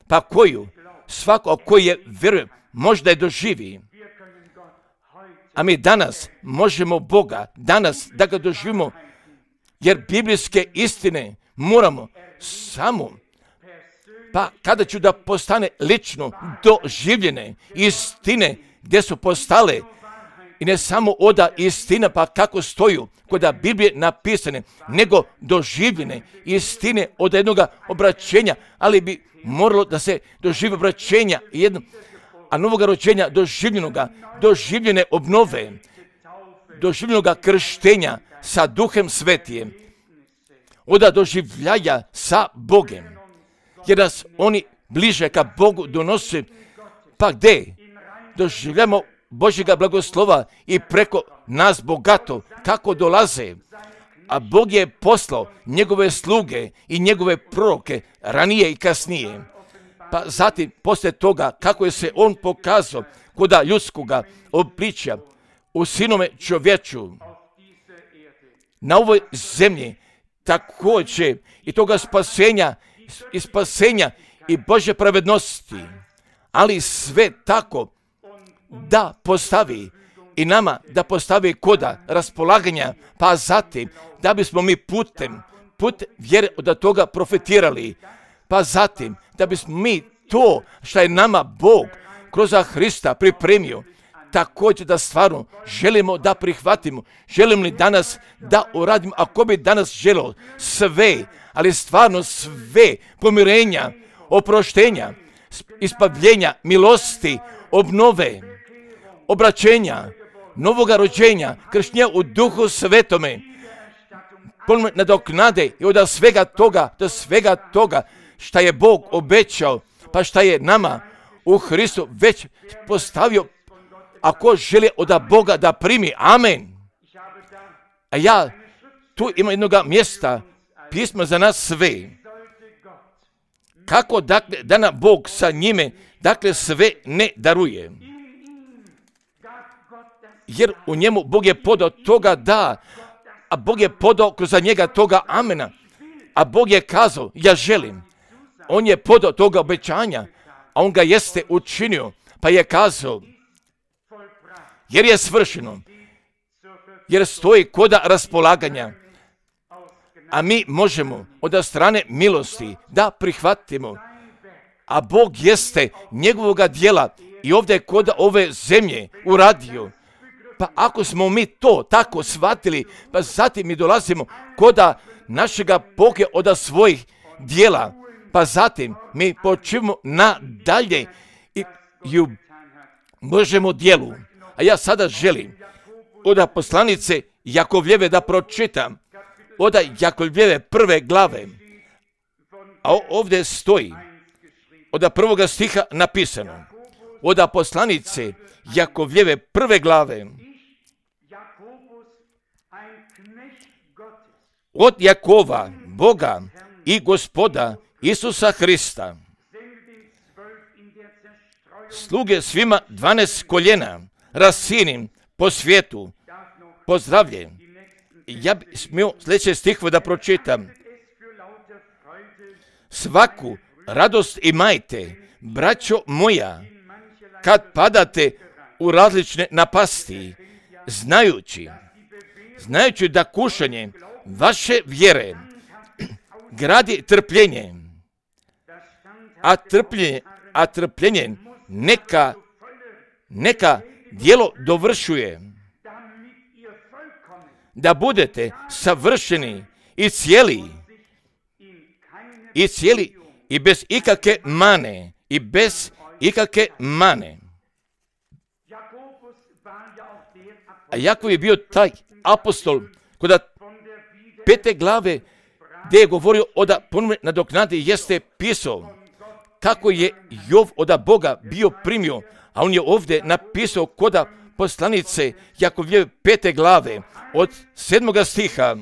pa koju svako koji je vjeruje možda je doživi. A mi danas možemo Boga, danas da ga doživimo, jer biblijske istine moramo samo, pa kada ću da postane lično doživljene istine gdje su postale, i ne samo oda istina pa kako stoju kod Biblije napisane, nego doživljene istine od jednog obraćenja, ali bi moralo da se doživi obraćenja a novog rođenja doživljene obnove, doživljenoga krštenja sa Duhem Svetijem, od doživljaja sa Bogom, jer nas oni bliže ka Bogu donose, pa gdje doživljamo Božjega blagoslova i preko nas bogato kako dolaze, a Bog je poslao njegove sluge i njegove proroke ranije i kasnije. Pa zatim, poslije toga, kako je se on pokazao kod ljudskoga obličja u sinome čovječu na ovoj zemlji, također i toga spasenja i Božje pravednosti, ali sve tako da postavi i nama da postavi koda raspolaganja, pa zatim da bismo mi put vjere od toga profitirali, pa zatim da bismo mi to što je nama Bog kroz Hrista pripremio, također da stvarno želimo da prihvatimo. Želim li danas da uradimo, ako bi danas želio sve, ali stvarno sve pomirenja, oproštenja, ispavljenja, milosti, obnove, obraćenja, novoga rođenja, krštenja u Duhu Svetome, nadoknade i od svega toga šta je Bog obećao, pa šta je nama u Hristu već postavio, ako želi od Boga da primi. Amen. A ja tu imam jednog mjesta, pismo za nas sve. Kako dakle da nam Bog sa njime dakle sve ne daruje. Jer u njemu Bog je podao toga da, a Bog je podao kroz njega toga amena. A Bog je kazao, ja želim. On je podao toga obećanja, a on ga jeste učinio, pa je kazao, jer je svršeno, jer stoji koda raspolaganja, a mi možemo od strane milosti da prihvatimo, a Bog jeste njegovoga djela i ovdje kod ove zemlje uradio. Pa ako smo mi to tako shvatili, pa zatim mi dolazimo koda našega Boga od svojih djela, pa zatim mi počivamo nadalje i u Božjemu djelu. A ja sada želim od poslanice Jakovljeve da pročitam, od Jakovljeve 1. glave, a ovdje stoji od 1. stiha napisano, od poslanice Jakovljeve 1. glave, od Jakova, Boga i Gospoda Isusa Hrista, sluge svima 12 koljena, rasinim po svijetu, pozdravljen. Ja bih smio sljedeći stih da pročitam. Svaku radost imajte, braćo moja, kad padate u različne napasti, znajući da kušanje vaše vjere gradi trpljenje, a trpljenje neka djelo dovršuje, da budete savršeni i cijeli i bez ikakve mane. A Jakov je bio taj apostol kod 5. glave gdje je govorio da ponovno nadoknadi, jeste pisao kako je Jov od Boga bio primio, a on je ovdje napisao kod poslanice Jakovljeve 5. glave od 7. stiha.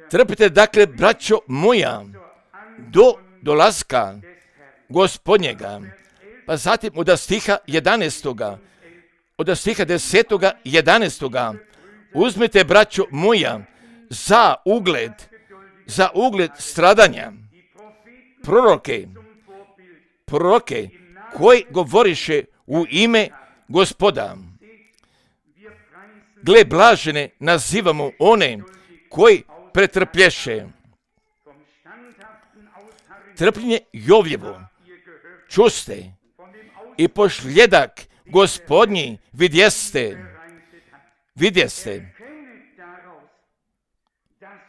Trpite dakle, braćo moja, do dolaska Gospodnjega. Pa zatim od stiha 11. Od stiha 10. 11. Uzmite, braćo moja, za ugled stradanja proroke koji govoriše u ime Gospoda. Gle, blažene nazivamo one koji pretrplješe. Trpljenje Jovljevo čuste i pošljedak Gospodnji vidjeste,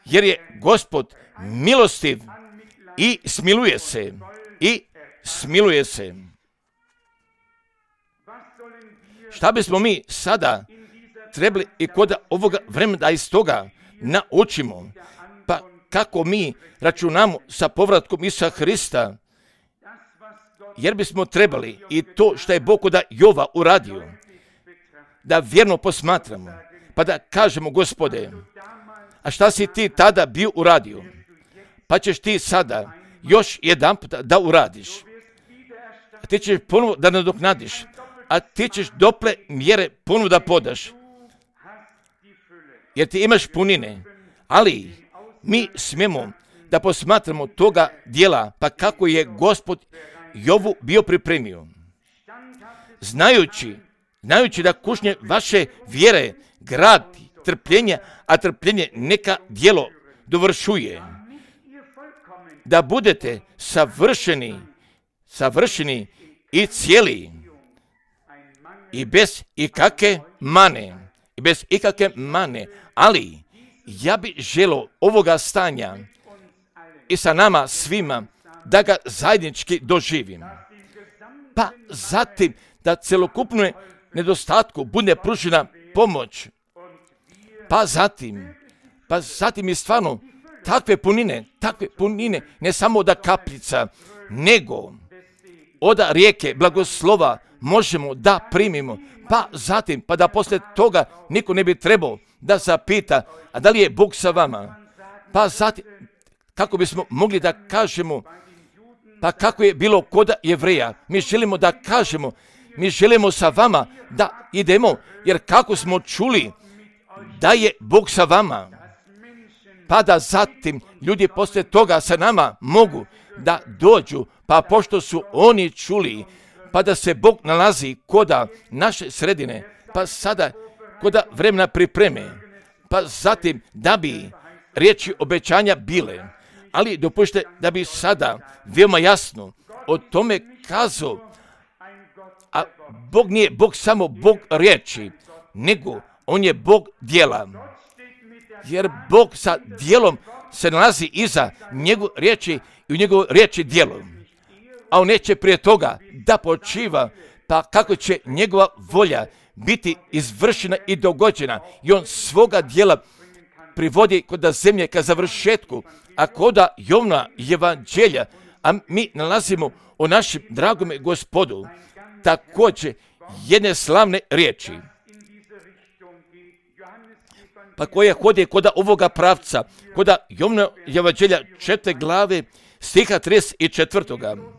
jer je Gospod milostiv i smiluje se. Šta bismo mi sada trebali i kod ovoga vremena da iz toga naučimo? Pa kako mi računamo sa povratkom Isusa Hrista? Jer bismo trebali i to što je Bog kod Jova uradio, da vjerno posmatramo, pa da kažemo, Gospode, a šta si ti tada bio uradio? Pa ćeš ti sada još jedan put da uradiš. A ti ćeš ponovo da nadoknadiš, a ti ćeš dople mjere ponovo da podaš. Jer ti imaš punine, ali mi smijemo da posmatramo toga dijela, pa kako je Gospod Jovu bio pripremio. Znajući da kušnje vaše vjere gradi trpljenje, a trpljenje neka djelo dovršuje. Da budete savršeni i cijeli i bez ikakve mane. Ali ja bih želio ovoga stanja i sa nama svima da ga zajednički doživim. Pa zatim da celokupno nedostatku bude pružena pomoć. Pa zatim je stvarno takve punine, ne samo od kapljica, nego od rijeke blagoslova možemo da primimo. Pa zatim, pa da poslije toga niko ne bi trebao da zapita, a da li je Bog sa vama? Pa zatim, kako bismo mogli da kažemo, pa kako je bilo kod Jevreja, mi želimo da kažemo, mi želimo sa vama da idemo, jer kako smo čuli da je Bog sa vama, pa da zatim ljudi poslije toga sa nama mogu da dođu, pa pošto su oni čuli, pa da se Bog nalazi koda naše sredine, pa sada koda vremena pripreme, pa zatim da bi riječi obećanja bile, ali dopušte da bi sada veoma jasno o tome kazao, a Bog nije Bog samo Bog riječi, nego on je Bog djela. Jer Bog sa djelom se nalazi iza njegove riječi i u njegove riječi djelo. A on neće prije toga da počiva, pa kako će njegova volja biti izvršena i dogođena. I on svoga djela privodi kod zemlje ka završetku, a kod Jovna evanđelja, a mi nalazimo o našem dragome Gospodu također jedne slavne riječi, pa koja hodi kod ovoga pravca, kod Jovna evanđelja 4. glave stiha 34.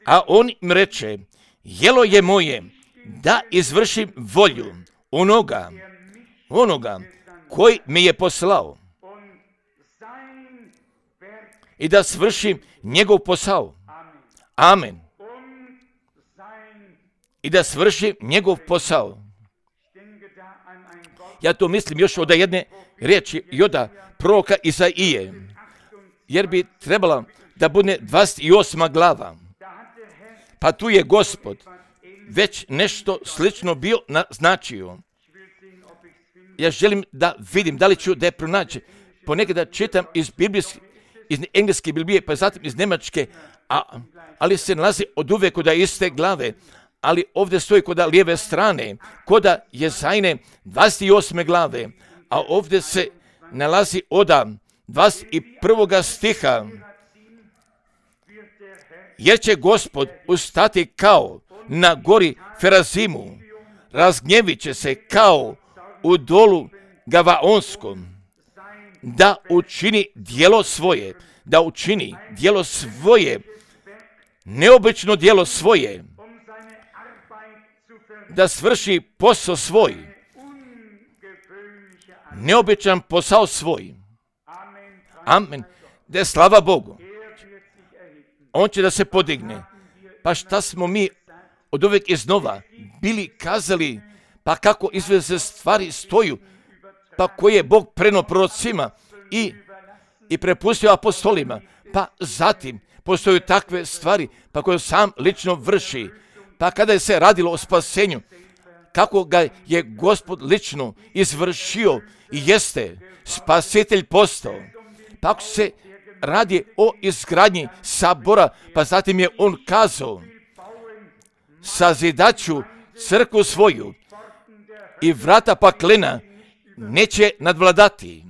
A on im reče, jelo je moje da izvršim volju onoga koji me je poslao i da svršim njegov posao. Amen. I da svršim njegov posao. Ja to mislim još od jedne riječi i od proroka Izaije, jer bi trebala da bude 28. glava. Pa tu je Gospod već nešto slično bio naznačio. Ja želim da vidim da li ću da je pronaći. Ponekada čitam iz engleske Biblije, pa zatim iz njemačke, ali se nalazi od uvek kod iste glave. Ali ovdje stoji kod lijeve strane, kod Jezajne 28. glave, a ovdje se nalazi od 21. stiha. Jer će Gospod ustati kao na gori Ferazimu, razgnjevit će se kao u dolu Gavaonskom, da učini djelo svoje, neobično djelo svoje, da svrši posao svoj, neobičan posao svoj. Amen. Da je slava Bogu. On će da se podigne. Pa šta smo mi od uvijek iznova bili kazali, pa kako izveze stvari stoju, pa koje je Bog prenio prorocima i prepustio apostolima, pa zatim postoju takve stvari, pa koje sam lično vrši. Pa kada je se radilo o spasenju, kako ga je Gospod lično izvršio i jeste spasitelj postao. Pa ako se radi o izgradnji sabora, pa zatim je on kazao, sazidaću crkvu svoju i vrata paklena neće nadvladati.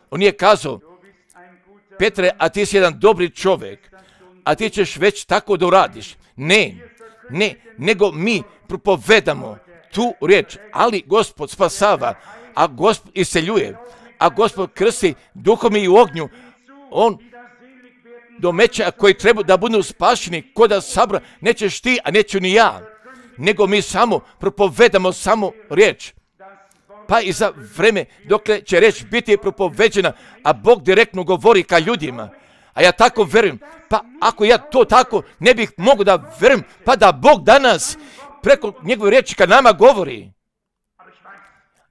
On je kazao, Petre, a ti si jedan dobri čovjek, a ti ćeš već tako da uradiš. Ne, nego mi propovedamo tu riječ, ali Gospod spasava, a Gospod iseljuje, a Gospod krsti duhom i u ognju. On do meća koji treba da budu spašeni koda sabra, nećeš ti, a neću ni ja, nego mi samo propovedamo samo riječ. Pa i za vreme dokle će riječ biti propoveđena, a Bog direktno govori ka ljudima. A ja tako verujem, pa ako ja to tako ne bih mogao da verujem, pa da Bog danas preko njegove riječi ka nama govori.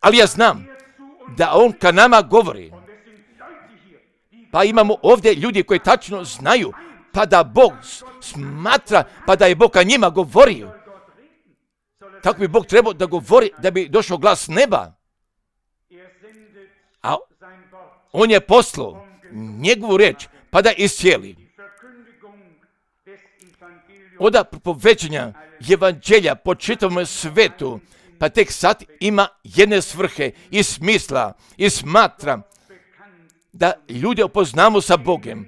Ali ja znam da on ka nama govori. Pa imamo ovdje ljudi koji tačno znaju, pa da Bog smatra, pa da je Bog ka njima govorio. Tako bi Bog trebao da govori, da bi došao glas neba. A on je poslao njegovu riječ, pa da iscijeli. Od propoveđenja evanđelja po čitavom svetu, pa tek sad ima jedne svrhe i smisla i smatra da ljude upoznamo sa Bogom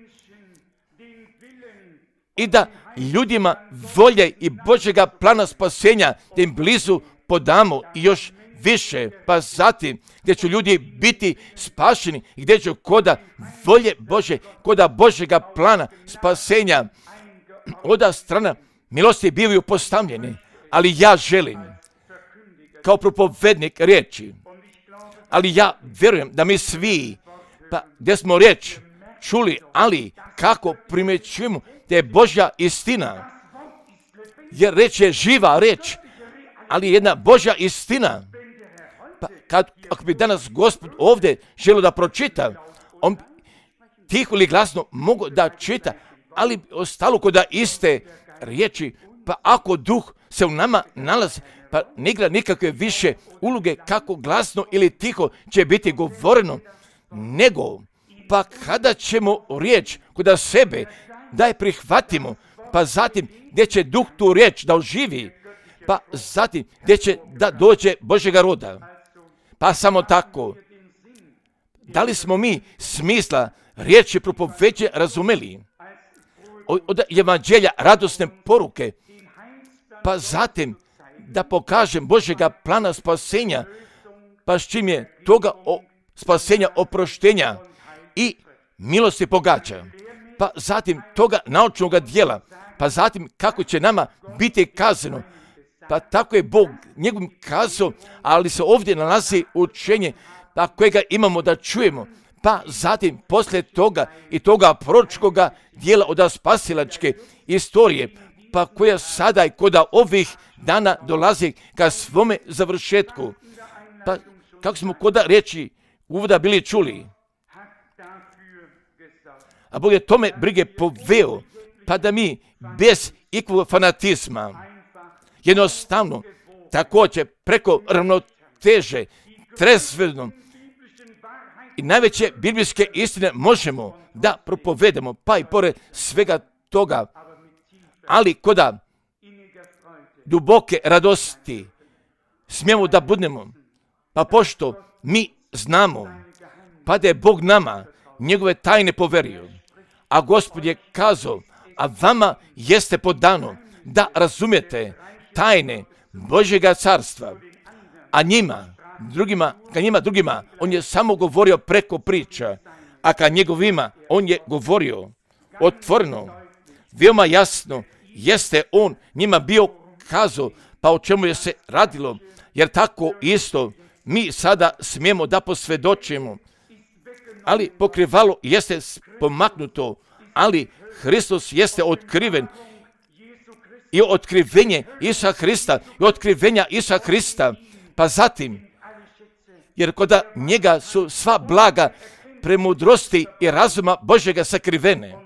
i da ljudima volje i Božjega plana spasenja da im blizu podamo i još više, pa zatim gdje će ljudi biti spašeni i gdje će koda volje Bože, koda Božjega plana spasenja oda strana milosti bivaju postavljene. Ali ja želim kao propovednik riječi, ali ja vjerujem da mi svi, pa gdje smo riječ čuli, ali kako primjećujemo da je Božja istina, jer riječ je živa riječ, ali jedna Božja istina. Pa ako bi danas Gospod ovdje želio da pročita, on tiho ili glasno mogu da čita, ali ostalo kod iste riječi, pa ako duh se u nama nalazi, pa ne igra nikakve više uloge kako glasno ili tiho će biti govoreno, nego pa kada ćemo riječ kod sebe da je prihvatimo, pa zatim gdje će duh tu riječ da oživi, pa zatim gdje će da dođe Božjega roda. Pa samo tako, da li smo mi smisla riječi propoveđe razumeli? Od evanđelja radosne poruke, pa zatim da pokažem Božjega plana spasenja, pa s čim je toga spasenja oproštenja i milosti pogađa, pa zatim toga naučnog dijela, pa zatim kako će nama biti kazano, pa tako je Bog njegovim kazao, ali se ovdje nalazi učenje, pa kojega imamo da čujemo, pa zatim poslije toga i toga proročkoga dijela od spasilačke istorije, pa koja sada i kod ovih dana dolazi ka svome završetku. Pa kako smo kod riječi uvoda bili čuli, a Bog je tome brige poveo, pa da mi bez ikakvog fanatizma, jednostavno, također preko ravnoteže, trezveno i najveće biblijske istine možemo da propovedemo, pa i pored svega toga, ali koda duboke radosti smijemo da budemo, pa pošto mi znamo, pa da je Bog nama njegove tajne poverio, a Gospod je kazao, a vama jeste podano da razumijete tajne Božjega carstva, a njima drugima, on je samo govorio preko priča, a ka njegovima, on je govorio otvoreno, veoma jasno, jeste on njima bio kazao, pa o čemu je se radilo, jer tako isto mi sada smijemo da posvjedočimo, ali pokrivalo jeste pomaknuto, ali Hristos jeste otkriven i otkrivenje Isusa Hrista i otkrivenja Isusa Hrista, pa zatim, jer kod njega su sva blaga premudrosti i razuma Božjega sakrivene,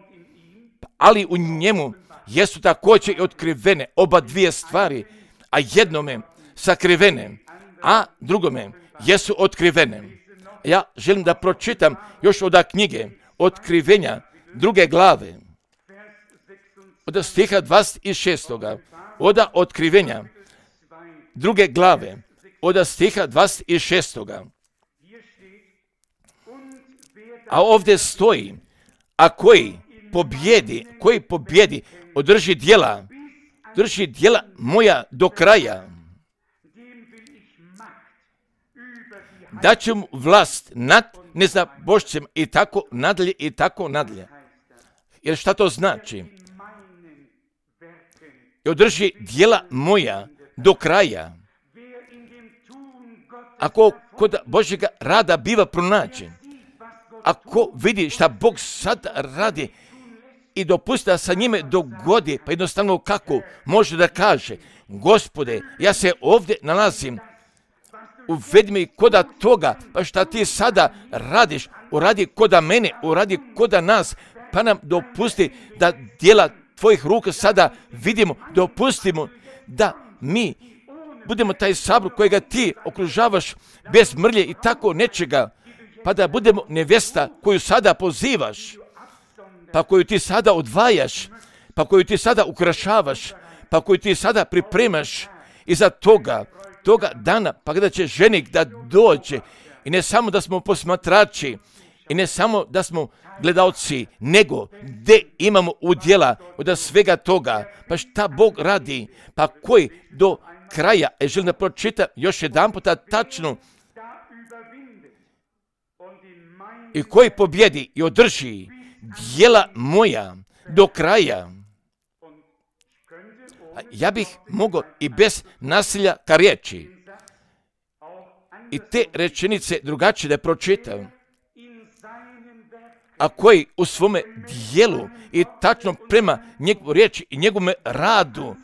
ali u njemu jesu također i otkrivene oba dvije stvari, a jednome sakrivene, a drugome jesu otkrivene. Ja želim da pročitam još od knjige Otkrivenja 2. glave, od stiha 26. Od Otkrivenja 2. glave, od stiha 26. A ovdje stoji, a koji pobjedi, drži djela moja do kraja, daću mu vlast nad neznabošcem i tako nadalje. Jer šta to znači? I održi djela moja do kraja. Ako kod Božjega rada biva pronađen, ako vidi šta Bog sad radi i dopusti da sa njime dogodi, pa jednostavno kako može da kaže, Gospode, ja se ovdje nalazim, uvedi me koda toga, pa šta ti sada radiš, uradi koda mene, uradi koda nas, pa nam dopusti da djela tvojih ruka sada vidimo, dopustimo da mi budemo taj sabor kojega ti okružavaš bez mrlje i tako nečega, pa da budemo nevjesta koju sada pozivaš, pa koju ti sada odvajaš, pa koju ti sada ukrašavaš, pa koju ti sada pripremaš iza toga dana, pa kada će ženik da dođe, i ne samo da smo posmatrači, i ne samo da smo gledalci, nego gdje imamo udjela od svega toga, pa šta Bog radi, pa koji do kraja, želim da pročitam još jedan puta tačno, i koji pobjedi i održi djela moja do kraja. Ja bih mogao i bez nasilja ka riječi i te rečenice drugačije da pročitam, a koji u svome dijelu i tačno prema njegovu riječi i njegovome radu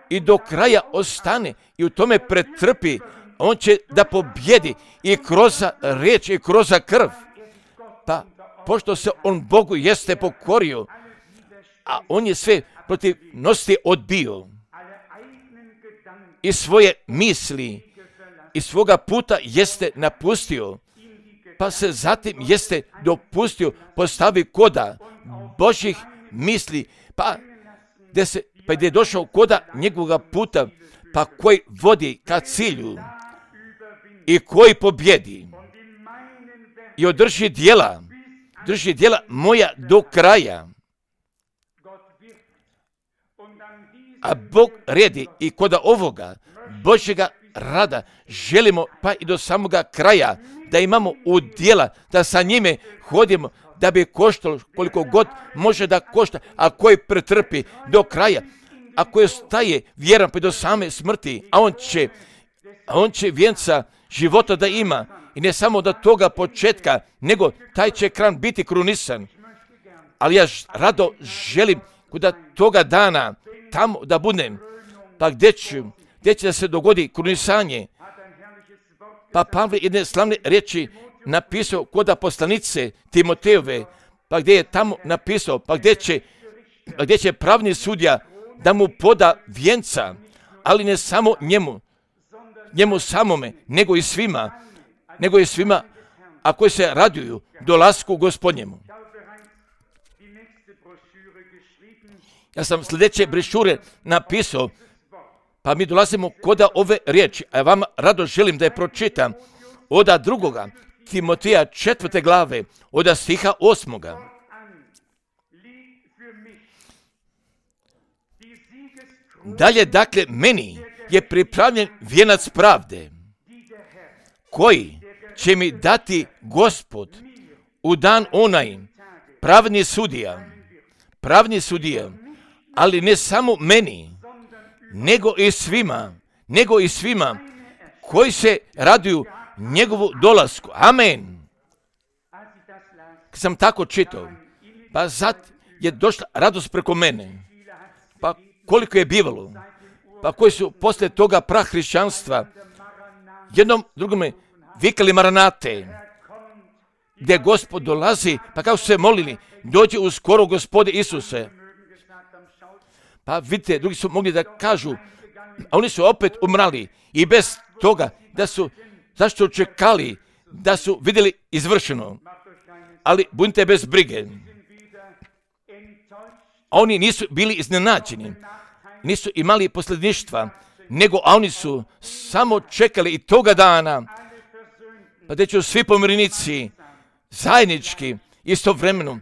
i do kraja ostane i u tome pretrpi, on će da pobjedi i kroz riječ i kroz krv. Pa pošto se on Bogu jeste pokorio, a on je sve protivnosti odbio i svoje misli i svoga puta jeste napustio, pa se zatim jeste dopustio postavi koda Božjih misli, pa gdje je došao koda njegovog puta, pa koji vodi ka cilju i koji pobjedi i održi djela moja do kraja. A Bog redi i koda ovoga Božjega rada želimo pa i do samoga kraja da imamo udjela, da sa njime hodimo, da bi koštalo koliko god može da košta, a koji pretrpi do kraja, a koji staje vjeran pa do same smrti, a on će vijenca života da ima, i ne samo do toga početka, nego taj će kran biti krunisan. Ali ja rado želim kod toga dana tamo da budem, pa gdje će da se dogodi krunisanje, Pa Pavle jedne slavne riječi napisao kod poslanice Timotejove, pa gdje je tamo napisao, pa gdje će pravni sudija da mu poda vijenca, ali ne samo njemu samome, nego i svima, a koji se raduju dolasku Gospodnjemu. Ja sam sljedeće brošure napisao, pa mi dolazimo kod ove riječi, a ja vam rado želim da je pročitam od 2. Timoteja 4. glave, od stiha 8. Dalje, dakle, meni je pripravljen vijenac pravde, koji će mi dati Gospod u dan onaj, pravni sudija, ali ne samo meni, nego i svima koji se raduju njegovu dolasku. Amen. Kad sam tako čitao, pa zad je došla radost preko mene. Pa koliko je bivalo, pa koji su poslije toga prahrišćanstva jednom drugome vikali Maranate, gdje Gospod dolazi, pa kako su se molili, dođi uskoro Gospode Isuse. Pa vidite, drugi su mogli da kažu, a oni su opet umrali i bez toga zašto čekali da su vidjeli izvršeno. Ali budite bez brige. Oni nisu bili iznenađeni, nisu imali posljedništva, nego oni su samo čekali i toga dana, pa gdje će svi pomirenici zajednički, istovremeno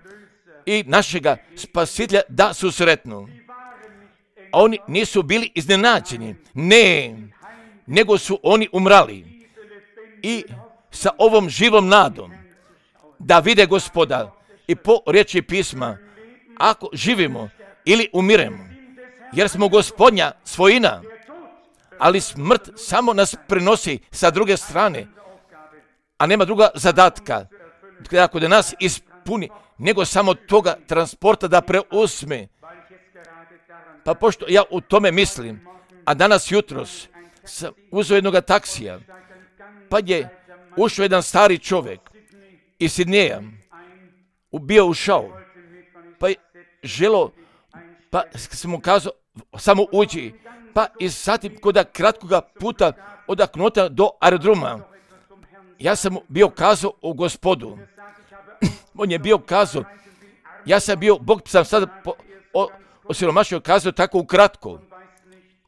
i našega spasitelja da susretnu. Oni nisu bili iznenađeni, ne, nego su oni umrali i sa ovom živom nadom da vide Gospoda. I po riječi pisma, ako živimo ili umiremo, jer smo Gospodnja svojina, ali smrt samo nas prenosi sa druge strane, a nema druga zadatka ako da nas ispuni, nego samo toga transporta da preuzme. Pa pošto ja u tome mislim, a danas jutros sam uzeo jednoga taksija, pa je ušao jedan stari čovjek iz Sidneja, bio ušao, pa je želo, pa sam mu kazao, samo uđi, pa i zatim kod kratkoga puta od Knota do aerodroma, ja sam mu bio kazao o Gospodu. On je bio kazao, ja sam bio, Bog sam sada osiromašio kazao tako ukratko,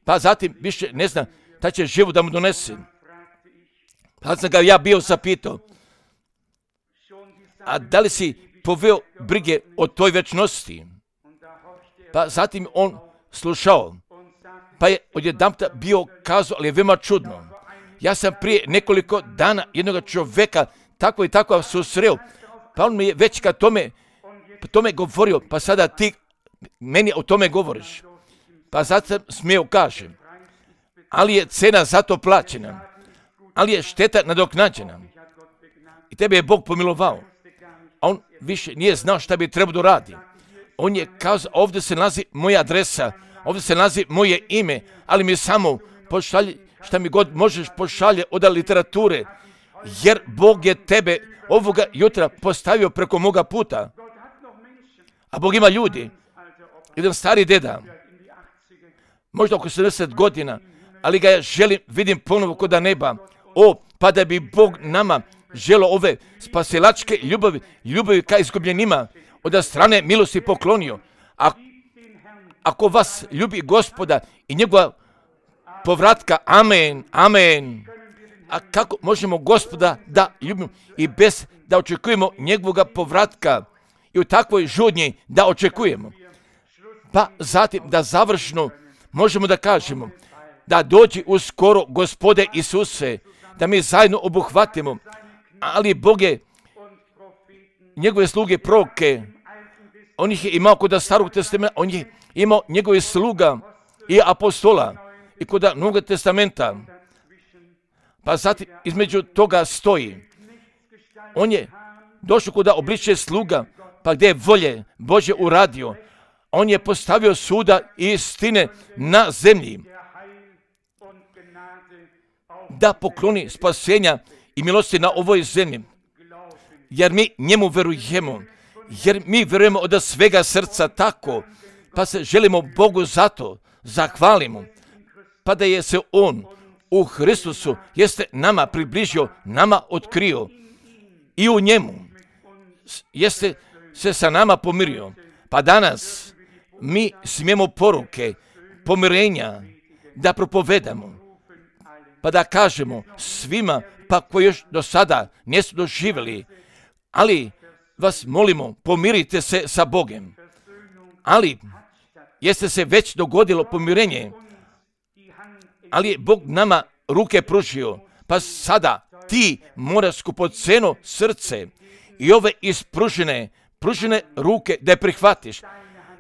pa zatim više ne znam, da će život da mu donese. Pa sam ga ja bio zapitao, a da li si poveo brige o toj večnosti? Pa zatim on slušao, pa je odjedanputa bio kazao, ali je veoma čudno. Ja sam prije nekoliko dana jednog čovjeka tako i tako susreo, pa on mi je već kad tome govorio, pa sada ti meni o tome govoriš. Pa zato sam smio kažem, ali je cena za to plaćena, ali je šteta nadoknađena. I tebe je Bog pomilovao. A on više nije znao šta bi trebao da radi. On je kazao, ovdje se nalazi moja adresa, ovdje se nalazi moje ime, ali mi samo pošalji šta mi god možeš pošalje od literature, jer Bog je tebe ovoga jutra postavio preko moga puta. A Bog ima ljudi. Jedan stari deda, možda oko 70 godina, ali ga ja vidim ponovo kod neba. Pa da bi Bog nama želo ove spasilačke ljubavi ka izgubljenima od strane milosti poklonio. Ako vas ljubi Gospoda i njegova povratka, amen, amen. A kako možemo Gospoda da ljubimo i bez da očekujemo njegovoga povratka i u takvoj žudnji da očekujemo? Pa zatim da završno možemo da kažemo da dođi uskoro Gospode Isuse, da mi zajedno obuhvatimo, ali Bog je njegove sluge proroke, on ih je imao kod Starog testamenta, on je imao njegove sluga i apostola i kod Novog testamenta. Pa zatim između toga stoji. On je došao kod obličje sluga, pa gdje je volje Božje uradio. On je postavio suda i istine na zemlji, da pokloni spasenja i milosti na ovoj zemlji, jer mi njemu verujemo, jer mi verujemo od svega srca tako, pa se želimo Bogu zato zahvalimo, pa da je se On u Hristusu jeste nama približio, nama otkrio i u njemu jeste se sa nama pomirio. Pa danas mi smijemo poruke pomirenja da propovedamo, pa da kažemo svima pa koji još do sada nisu doživjeli, ali vas molimo, pomirite se sa Bogom. Ali jeste se već dogodilo pomirenje, ali je Bog nama ruke pružio, pa sada ti moraš skupoceno srce i ove ispružene ruke da je prihvatiš,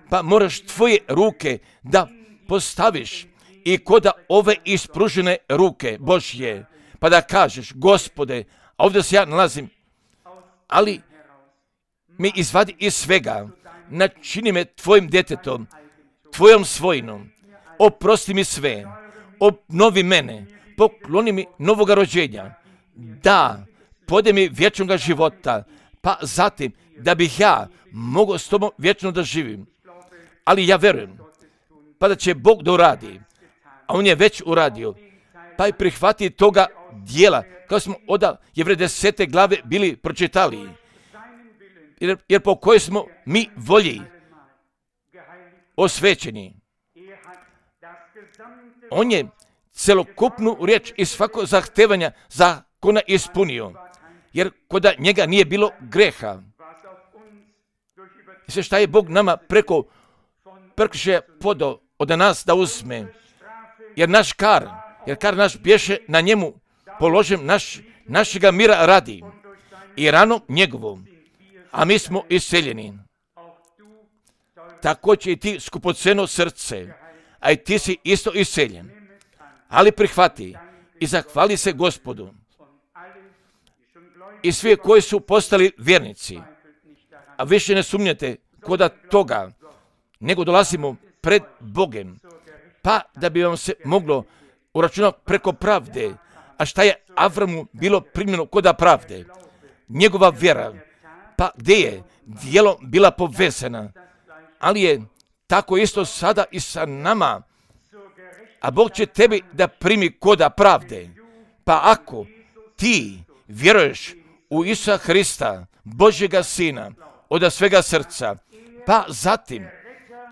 pa moraš tvoje ruke da postaviš i koda ove ispružene ruke Božje, pa da kažeš, Gospode, a ovdje se ja nalazim, ali mi izvadi iz svega, načini me tvojim djetetom, tvojom svojinom, oprosti mi sve, obnovi mene, pokloni mi novoga rođenja, da podaj mi vječnoga života, pa zatim da bih ja mogao s tobom vječno da živim. Ali ja verujem, pa da će Bog da uradi, a On je već uradio, pa i prihvati toga dijela, kao smo od Jevreja 10. glave bili pročitali, jer po kojoj smo mi volji osvećeni. On je celokupnu riječ i svako zahtevanja zakona ispunio, jer koda njega nije bilo greha. I sve šta je Bog nama preko prekršaja podao od nas da uzme, jer kar naš bješe na njemu položen našega mira radi i ranom njegovom, a mi smo iseljeni. Tako će i ti skupoceno srce, a i ti si isto iseljen. Ali prihvati i zahvali se Gospodu. I svi koji su postali vjernici, a više ne sumnjate koda toga, nego dolazimo pred Bogem, pa da bi vam se moglo uračunati preko pravde. A šta je Avramu bilo primljeno koda pravde? Njegova vjera, pa gdje je djelom bila povezana, ali je tako isto sada i sa nama, a Bog će tebi da primi koda pravde. Pa ako ti vjeruješ u Isusa Hrista, Božjega Sina, od svega srca, pa zatim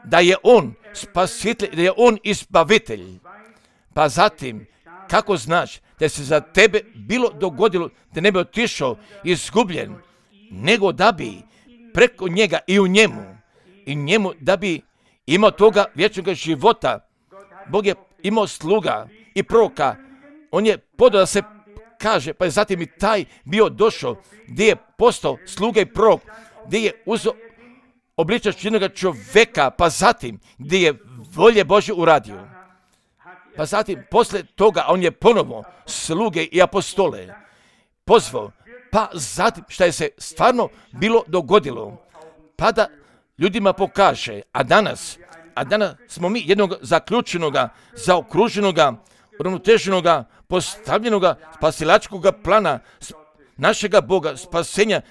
da je On spasitelj, da je On izbavitelj, pa zatim kako znaš da se za tebe bilo dogodilo da ne bi otišao izgubljen, nego da bi preko njega i u njemu da bi imao toga vječnoga života. Bog je imao sluga i proroka, on je podao da se kaže, pa je zatim i taj bio došao gdje je postao sluga i prorok, gdje je uzeo obličaš jednoga čovjeka, pa zatim gdje je volje Božje uradio. Pa zatim posle toga on je ponovo sluge i apostole pozvao, pa zatim šta je se stvarno bilo dogodilo, pa da ljudima pokaže, a danas smo mi jednog zaključenoga, zaokruženoga, uravnoteženoga, postavljenoga spasilačkog plana našega Boga, spasenja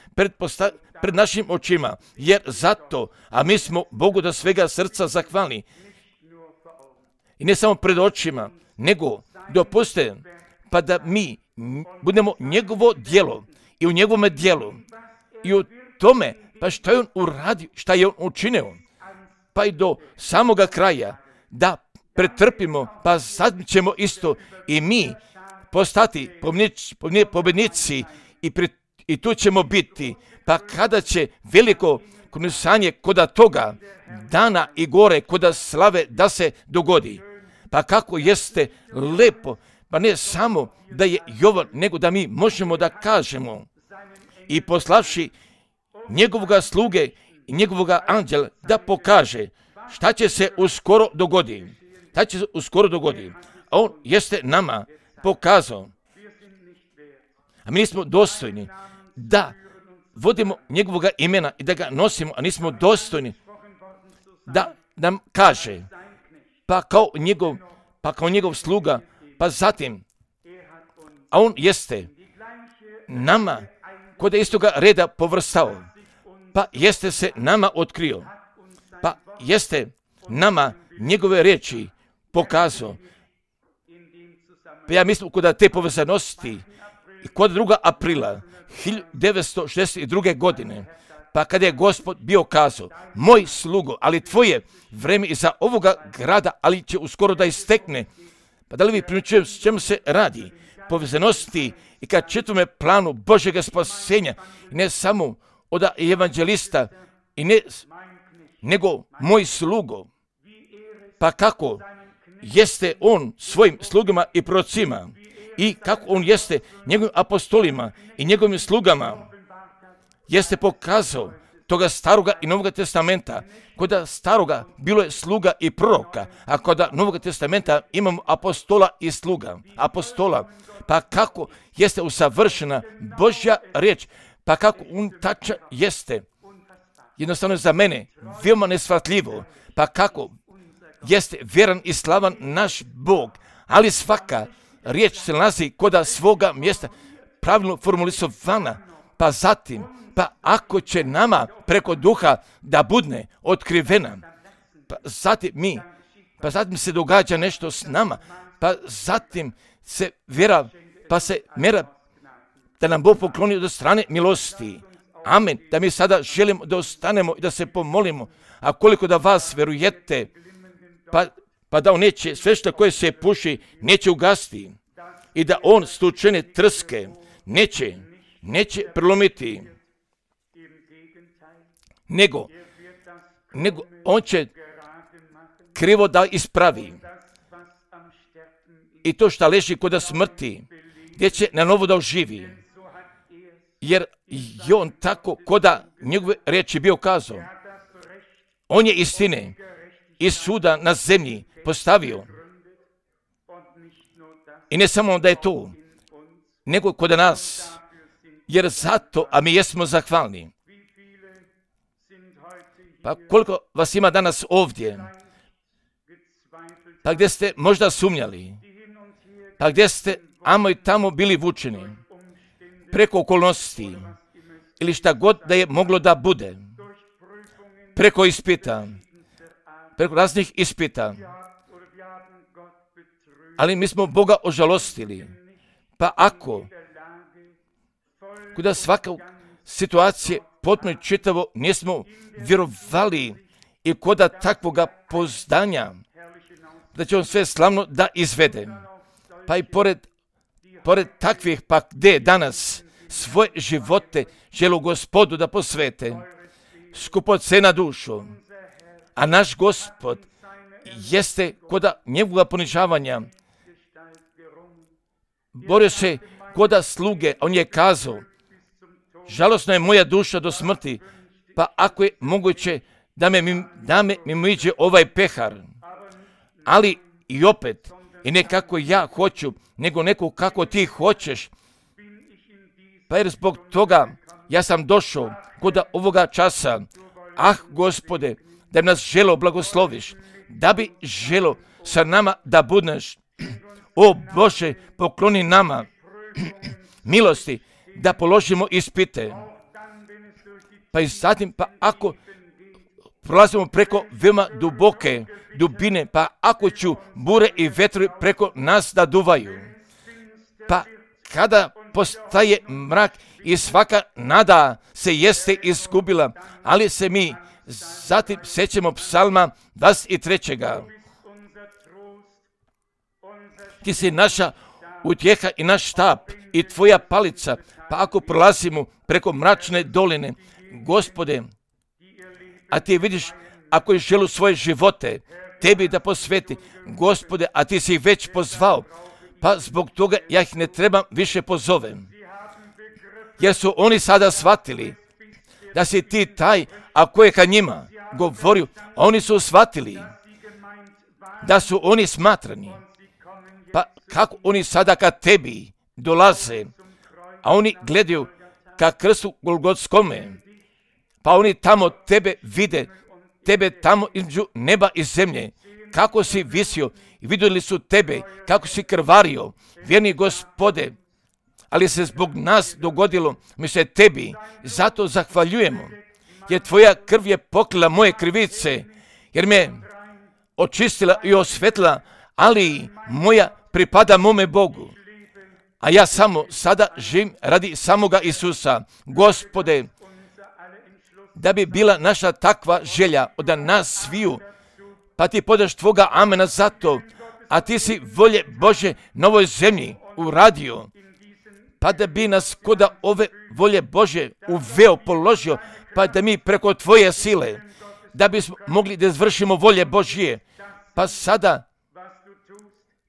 pred našim očima, jer zato, a mi smo Bogu da svega srca zahvalni. I ne samo pred očima, nego dopuste, pa da mi budemo njegovo djelo i u njegovome djelu i u tome, pa što je on uradio, šta je on učinio, pa i do samoga kraja, da pretrpimo, pa sad ćemo isto i mi postati pobjednici i tu ćemo biti, pa kada će veliko konusanje koda toga dana i gore koda slave da se dogodi. Pa kako jeste lepo, pa ne samo da je Jovan, nego da mi možemo da kažemo i poslavši njegovoga sluge i njegovoga anđela da pokaže šta će se uskoro dogoditi. A on jeste nama pokazao, a mi nismo dostojni da vodimo njegovoga imena i da ga nosimo, a nismo dostojni da nam kaže, pa kao njegov sluga, pa zatim, a on jeste nama kod istoga reda povrstao, pa jeste se nama otkrio, pa jeste nama njegove riječi pokazao. Pa ja mislim kod te povezanosti i kod 2. aprila 1962. godine, pa kada je Gospod bio kazao, moj slugo, ali tvoje vreme iza ovoga grada, ali će uskoro da istekne. Pa da li vi primjećujete s čemu se radi? Povezanosti i kad čitame planu Božjega spasenja, ne samo od evanđelista, i ne, nego moj slugo. Pa kako jeste on svojim slugama i prorocima i kako on jeste njegovim apostolima i njegovim slugama jeste pokazao toga staroga i novoga testamenta. Kod staroga bilo je sluga i proroka, a kod novoga testamenta imamo apostola i sluga. Apostola, pa kako jeste usavršena Božja riječ, pa kako on tača jeste. Jednostavno za mene veoma neshvatljivo, pa kako jeste vjeran i slavan naš Bog, ali svaka riječ se nalazi kod svoga mjesta, pravilno formulisovana, pa zatim, pa ako će nama preko duha da budne otkrivena, pa zatim se događa nešto s nama, pa zatim se vjera, pa se mjera da nam Bog pokloni od strane milosti. Amen. Da mi sada želimo da ostanemo i da se pomolimo, a koliko da vas vjerujete, pa da on neće, sve što koje se puši, neće ugasiti i da on stučene trske neće prelomiti, nego on će krivo da ispravi. I to što leži kod smrti, gdje će na novo da oživi. Jer je on tako kod njegove riječi bio kazao. On je istine i suda na zemlji postavio. I ne samo da je to, nego kod nas. Jer zato, a mi jesmo zahvalni. Pa koliko vas ima danas ovdje? Pa gdje ste možda sumnjali? Pa gdje ste amo i tamo bili vučeni? Preko okolnosti ili šta god da je moglo da bude. Preko ispita. Preko raznih ispita. Ali mi smo Boga ožalostili. Pa ako kuda svaka situacija potpuno čitavo nismo vjerovali i koda takvoga pozdanja da će on sve slavno da izvede. Pa i pored takvih, pa gdje danas svoje živote želu Gospodu da posvete, skupocena dušu, a naš Gospod jeste koda njegovoga ponižavanja borio se koda sluge, on je kazao, žalosno je moja duša do smrti, pa ako je moguće da me mimoiđe ovaj pehar, ali i opet, i ne kako ja hoću, nego neko kako ti hoćeš. Pa jer zbog toga ja sam došao kod ovoga časa. Gospode, da bi nas želo blagosloviš, da bi želo sa nama da budeš. O Bože, pokloni nama milosti da položimo ispite. Pa i zatim, pa ako prolazimo preko veoma duboke dubine, pa ako ću bure i vetri preko nas da duvaju, pa kada postaje mrak i svaka nada se jeste izgubila, ali se mi zatim sećemo psalma 23. Ti si naša utjeha i naš štap i tvoja palica, pa ako prolazimo preko mračne doline, Gospode, a ti vidiš ako je želu svoje živote tebi da posveti, Gospode, a ti si ih već pozvao, pa zbog toga ja ih ne trebam više pozovem. Jer su oni sada shvatili da si ti taj, a ko je ka njima govorio, a oni su shvatili da su oni smatrani. Pa kako oni sada ka tebi dolaze, a oni gledaju ka krstu Golgotskome, pa oni tamo tebe vide, tebe tamo između neba i zemlje, kako si visio i vidjeli su tebe, kako si krvario, vjerni Gospode, ali se zbog nas dogodilo, mi se tebi zato zahvaljujemo, jer tvoja krv je pokrila moje krivice, jer me očistila i osvetila, ali moja pripada mome Bogu. A ja samo sada živim radi samoga Isusa. Gospode, da bi bila naša takva želja od nas sviju, pa ti podaš tvoga amena za to, a ti si volje Bože na ovoj zemlji uradio, pa da bi nas koda ove volje Bože uveo, položio, pa da mi preko tvoje sile, da bismo mogli da izvršimo volje Božje. Pa sada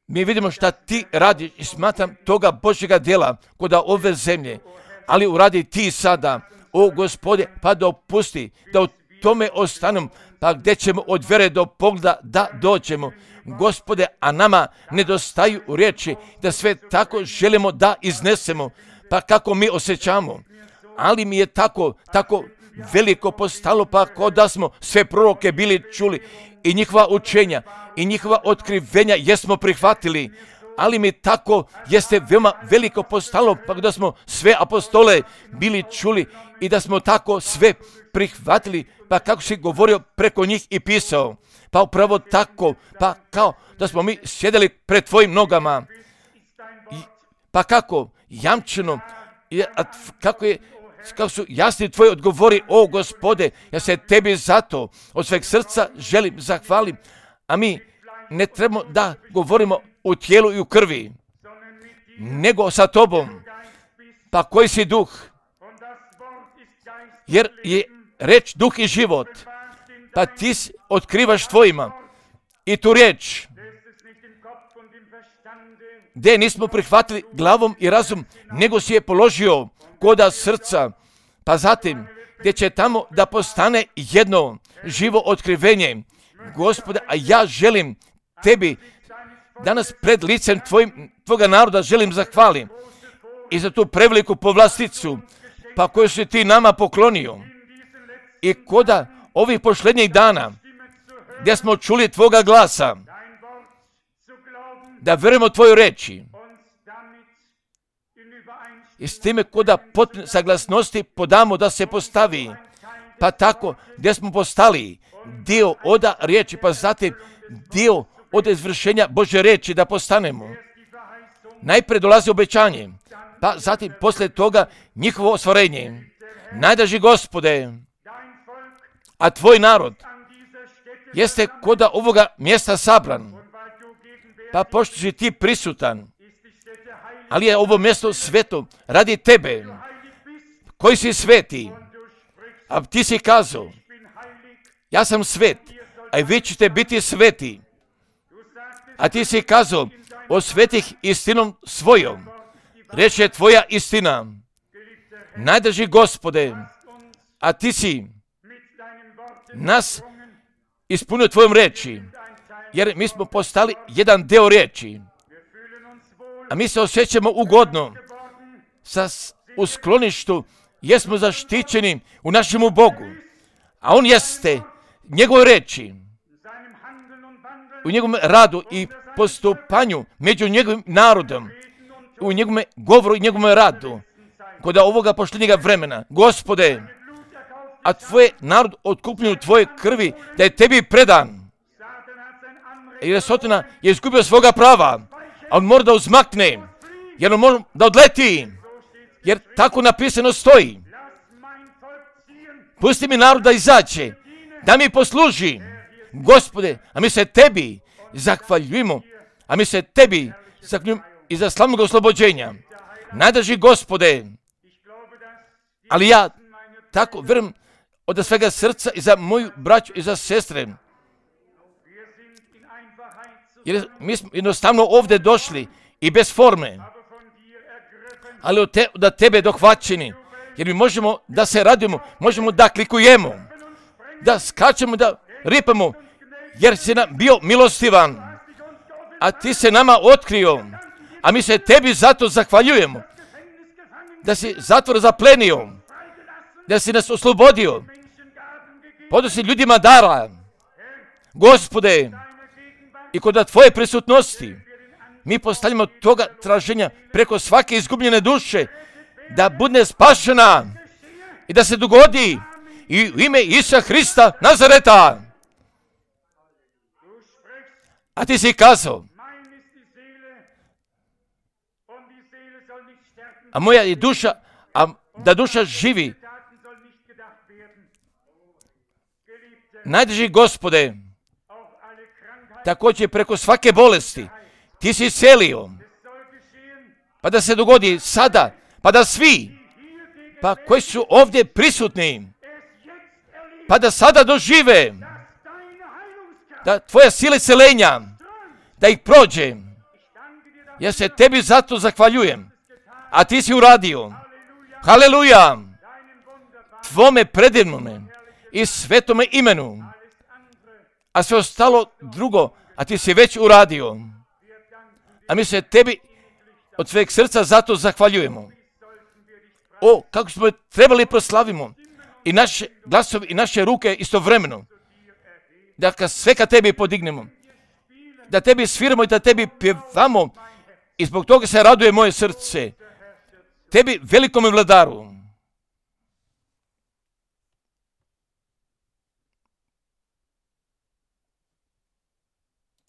mi vidimo šta ti radiš i smatram toga Božjega djela koda ove zemlje, ali uradi ti sada, o Gospode, pa dopusti da u tome ostanem, pa gdje ćemo od vere do pogleda da dođemo. Gospode, a nama nedostaju riječi da sve tako želimo da iznesemo, pa kako mi osjećamo. Ali mi je tako veliko postalo, pa kao da smo sve proroke bili čuli i njihova učenja i njihova otkrivenja jesmo prihvatili. Ali mi tako jeste veoma veliko postalo, pa da smo sve apostole bili čuli i da smo tako sve prihvatili, pa kako si govorio preko njih i pisao. Pa upravo tako, pa kao da smo mi sjedeli pred tvojim nogama. Pa kako jamčeno, kako su jasni tvoji odgovori, o Gospode, ja se tebi zato od sveg srca želim zahvalim, a mi ne trebamo da govorimo u tijelu i u krvi, nego sa tobom, pa koji si duh, jer je reč duh i život, pa ti otkrivaš tvojima i tu riječ, gdje nismo prihvatili glavom i razum, nego si je položio koda srca, pa zatim gdje će tamo da postane jedno živo otkrivenje. Gospode, a ja želim tebi danas pred licem tvoga naroda želim zahvalim i za tu preveliku povlasticu, pa koju si ti nama poklonio. I koda ovih posljednjih dana gdje smo čuli tvoga glasa, da verujemo tvoju reči i s time koda potpune saglasnosti podamo da se postavi, pa tako gdje smo postali dio oda riječi, pa zatim dio od izvršenja Božje riječi da postanemo. Najprije dolazi obećanje, pa zatim poslije toga njihovo ostvarenje. Najdraži Gospode, a tvoj narod jeste koda ovoga mjesta sabran, pa pošto si ti prisutan, ali je ovo mjesto sveto radi tebe, koji si sveti, a ti si kazao, ja sam svet, a i vi ćete biti sveti, a ti si kazao, osvetih istinom svojom, reč je tvoja istina. Najdraži Gospode, a ti si nas ispunio tvojom reči, jer mi smo postali jedan deo riječi, a mi se osjećamo ugodno u skloništu, jesmo zaštićeni u našemu Bogu, a On jeste njegove reči, u njegovom radu i postupanju među njegovim narodom, u njegovom govoru i njegovom radu, kod ovoga posljednjega vremena. Gospode, a tvoj narod otkupljen u tvoje krvi, da je tebi predan. Jer Sotona je izgubio svoga prava, a on mora da uzmakne, jer on mora da odleti, jer tako napisano stoji. Pusti mi narod da izađe, da mi posluži. Gospode, a mi se tebi zahvaljujemo, a mi se tebi zahvaljujemo i za slavnog oslobođenja. Najdraži Gospode, ali ja tako vjerujem od svega srca i za moju braću i za sestre, jer mi smo jednostavno ovdje došli i bez forme, ali da tebe dohvaćeni, jer mi možemo da se radimo, možemo da klikujemo, da skačemo, da ripamo, jer si nam bio milostivan, a ti se nama otkrio, a mi se tebi zato zahvaljujemo, da si zatvor zaplenio, da si nas oslobodio, podao si ljudima dara, Gospode, i kod tvoje prisutnosti, Mi postavljamo toga traženja preko svake izgubljene duše, da bude spašena i da se dogodi i u ime Isusa Hrista Nazareta. A ti si kazao, a moja je duša, a da duša živi. Najdrži Gospode, također preko svake bolesti, ti si iscelio, pa da se dogodi sada, pa da svi, pa koji su ovdje prisutni, pa da sada dožive, da tvoja sila isceljenja, da ih prođe. Ja se tebi zato zahvaljujem, a ti si uradio. Haleluja! Tvome predivnome i svetome imenu, a sve ostalo drugo, a ti si već uradio. A mi se tebi od sveg srca zato zahvaljujemo. O, kako smo trebali proslavimo i naše glasovi i naše ruke istovremeno. Da sve ka tebi podignemo, da tebi sviramo i da tebi pjevamo i zbog toga se raduje moje srce. Tebi, velikom vladaru,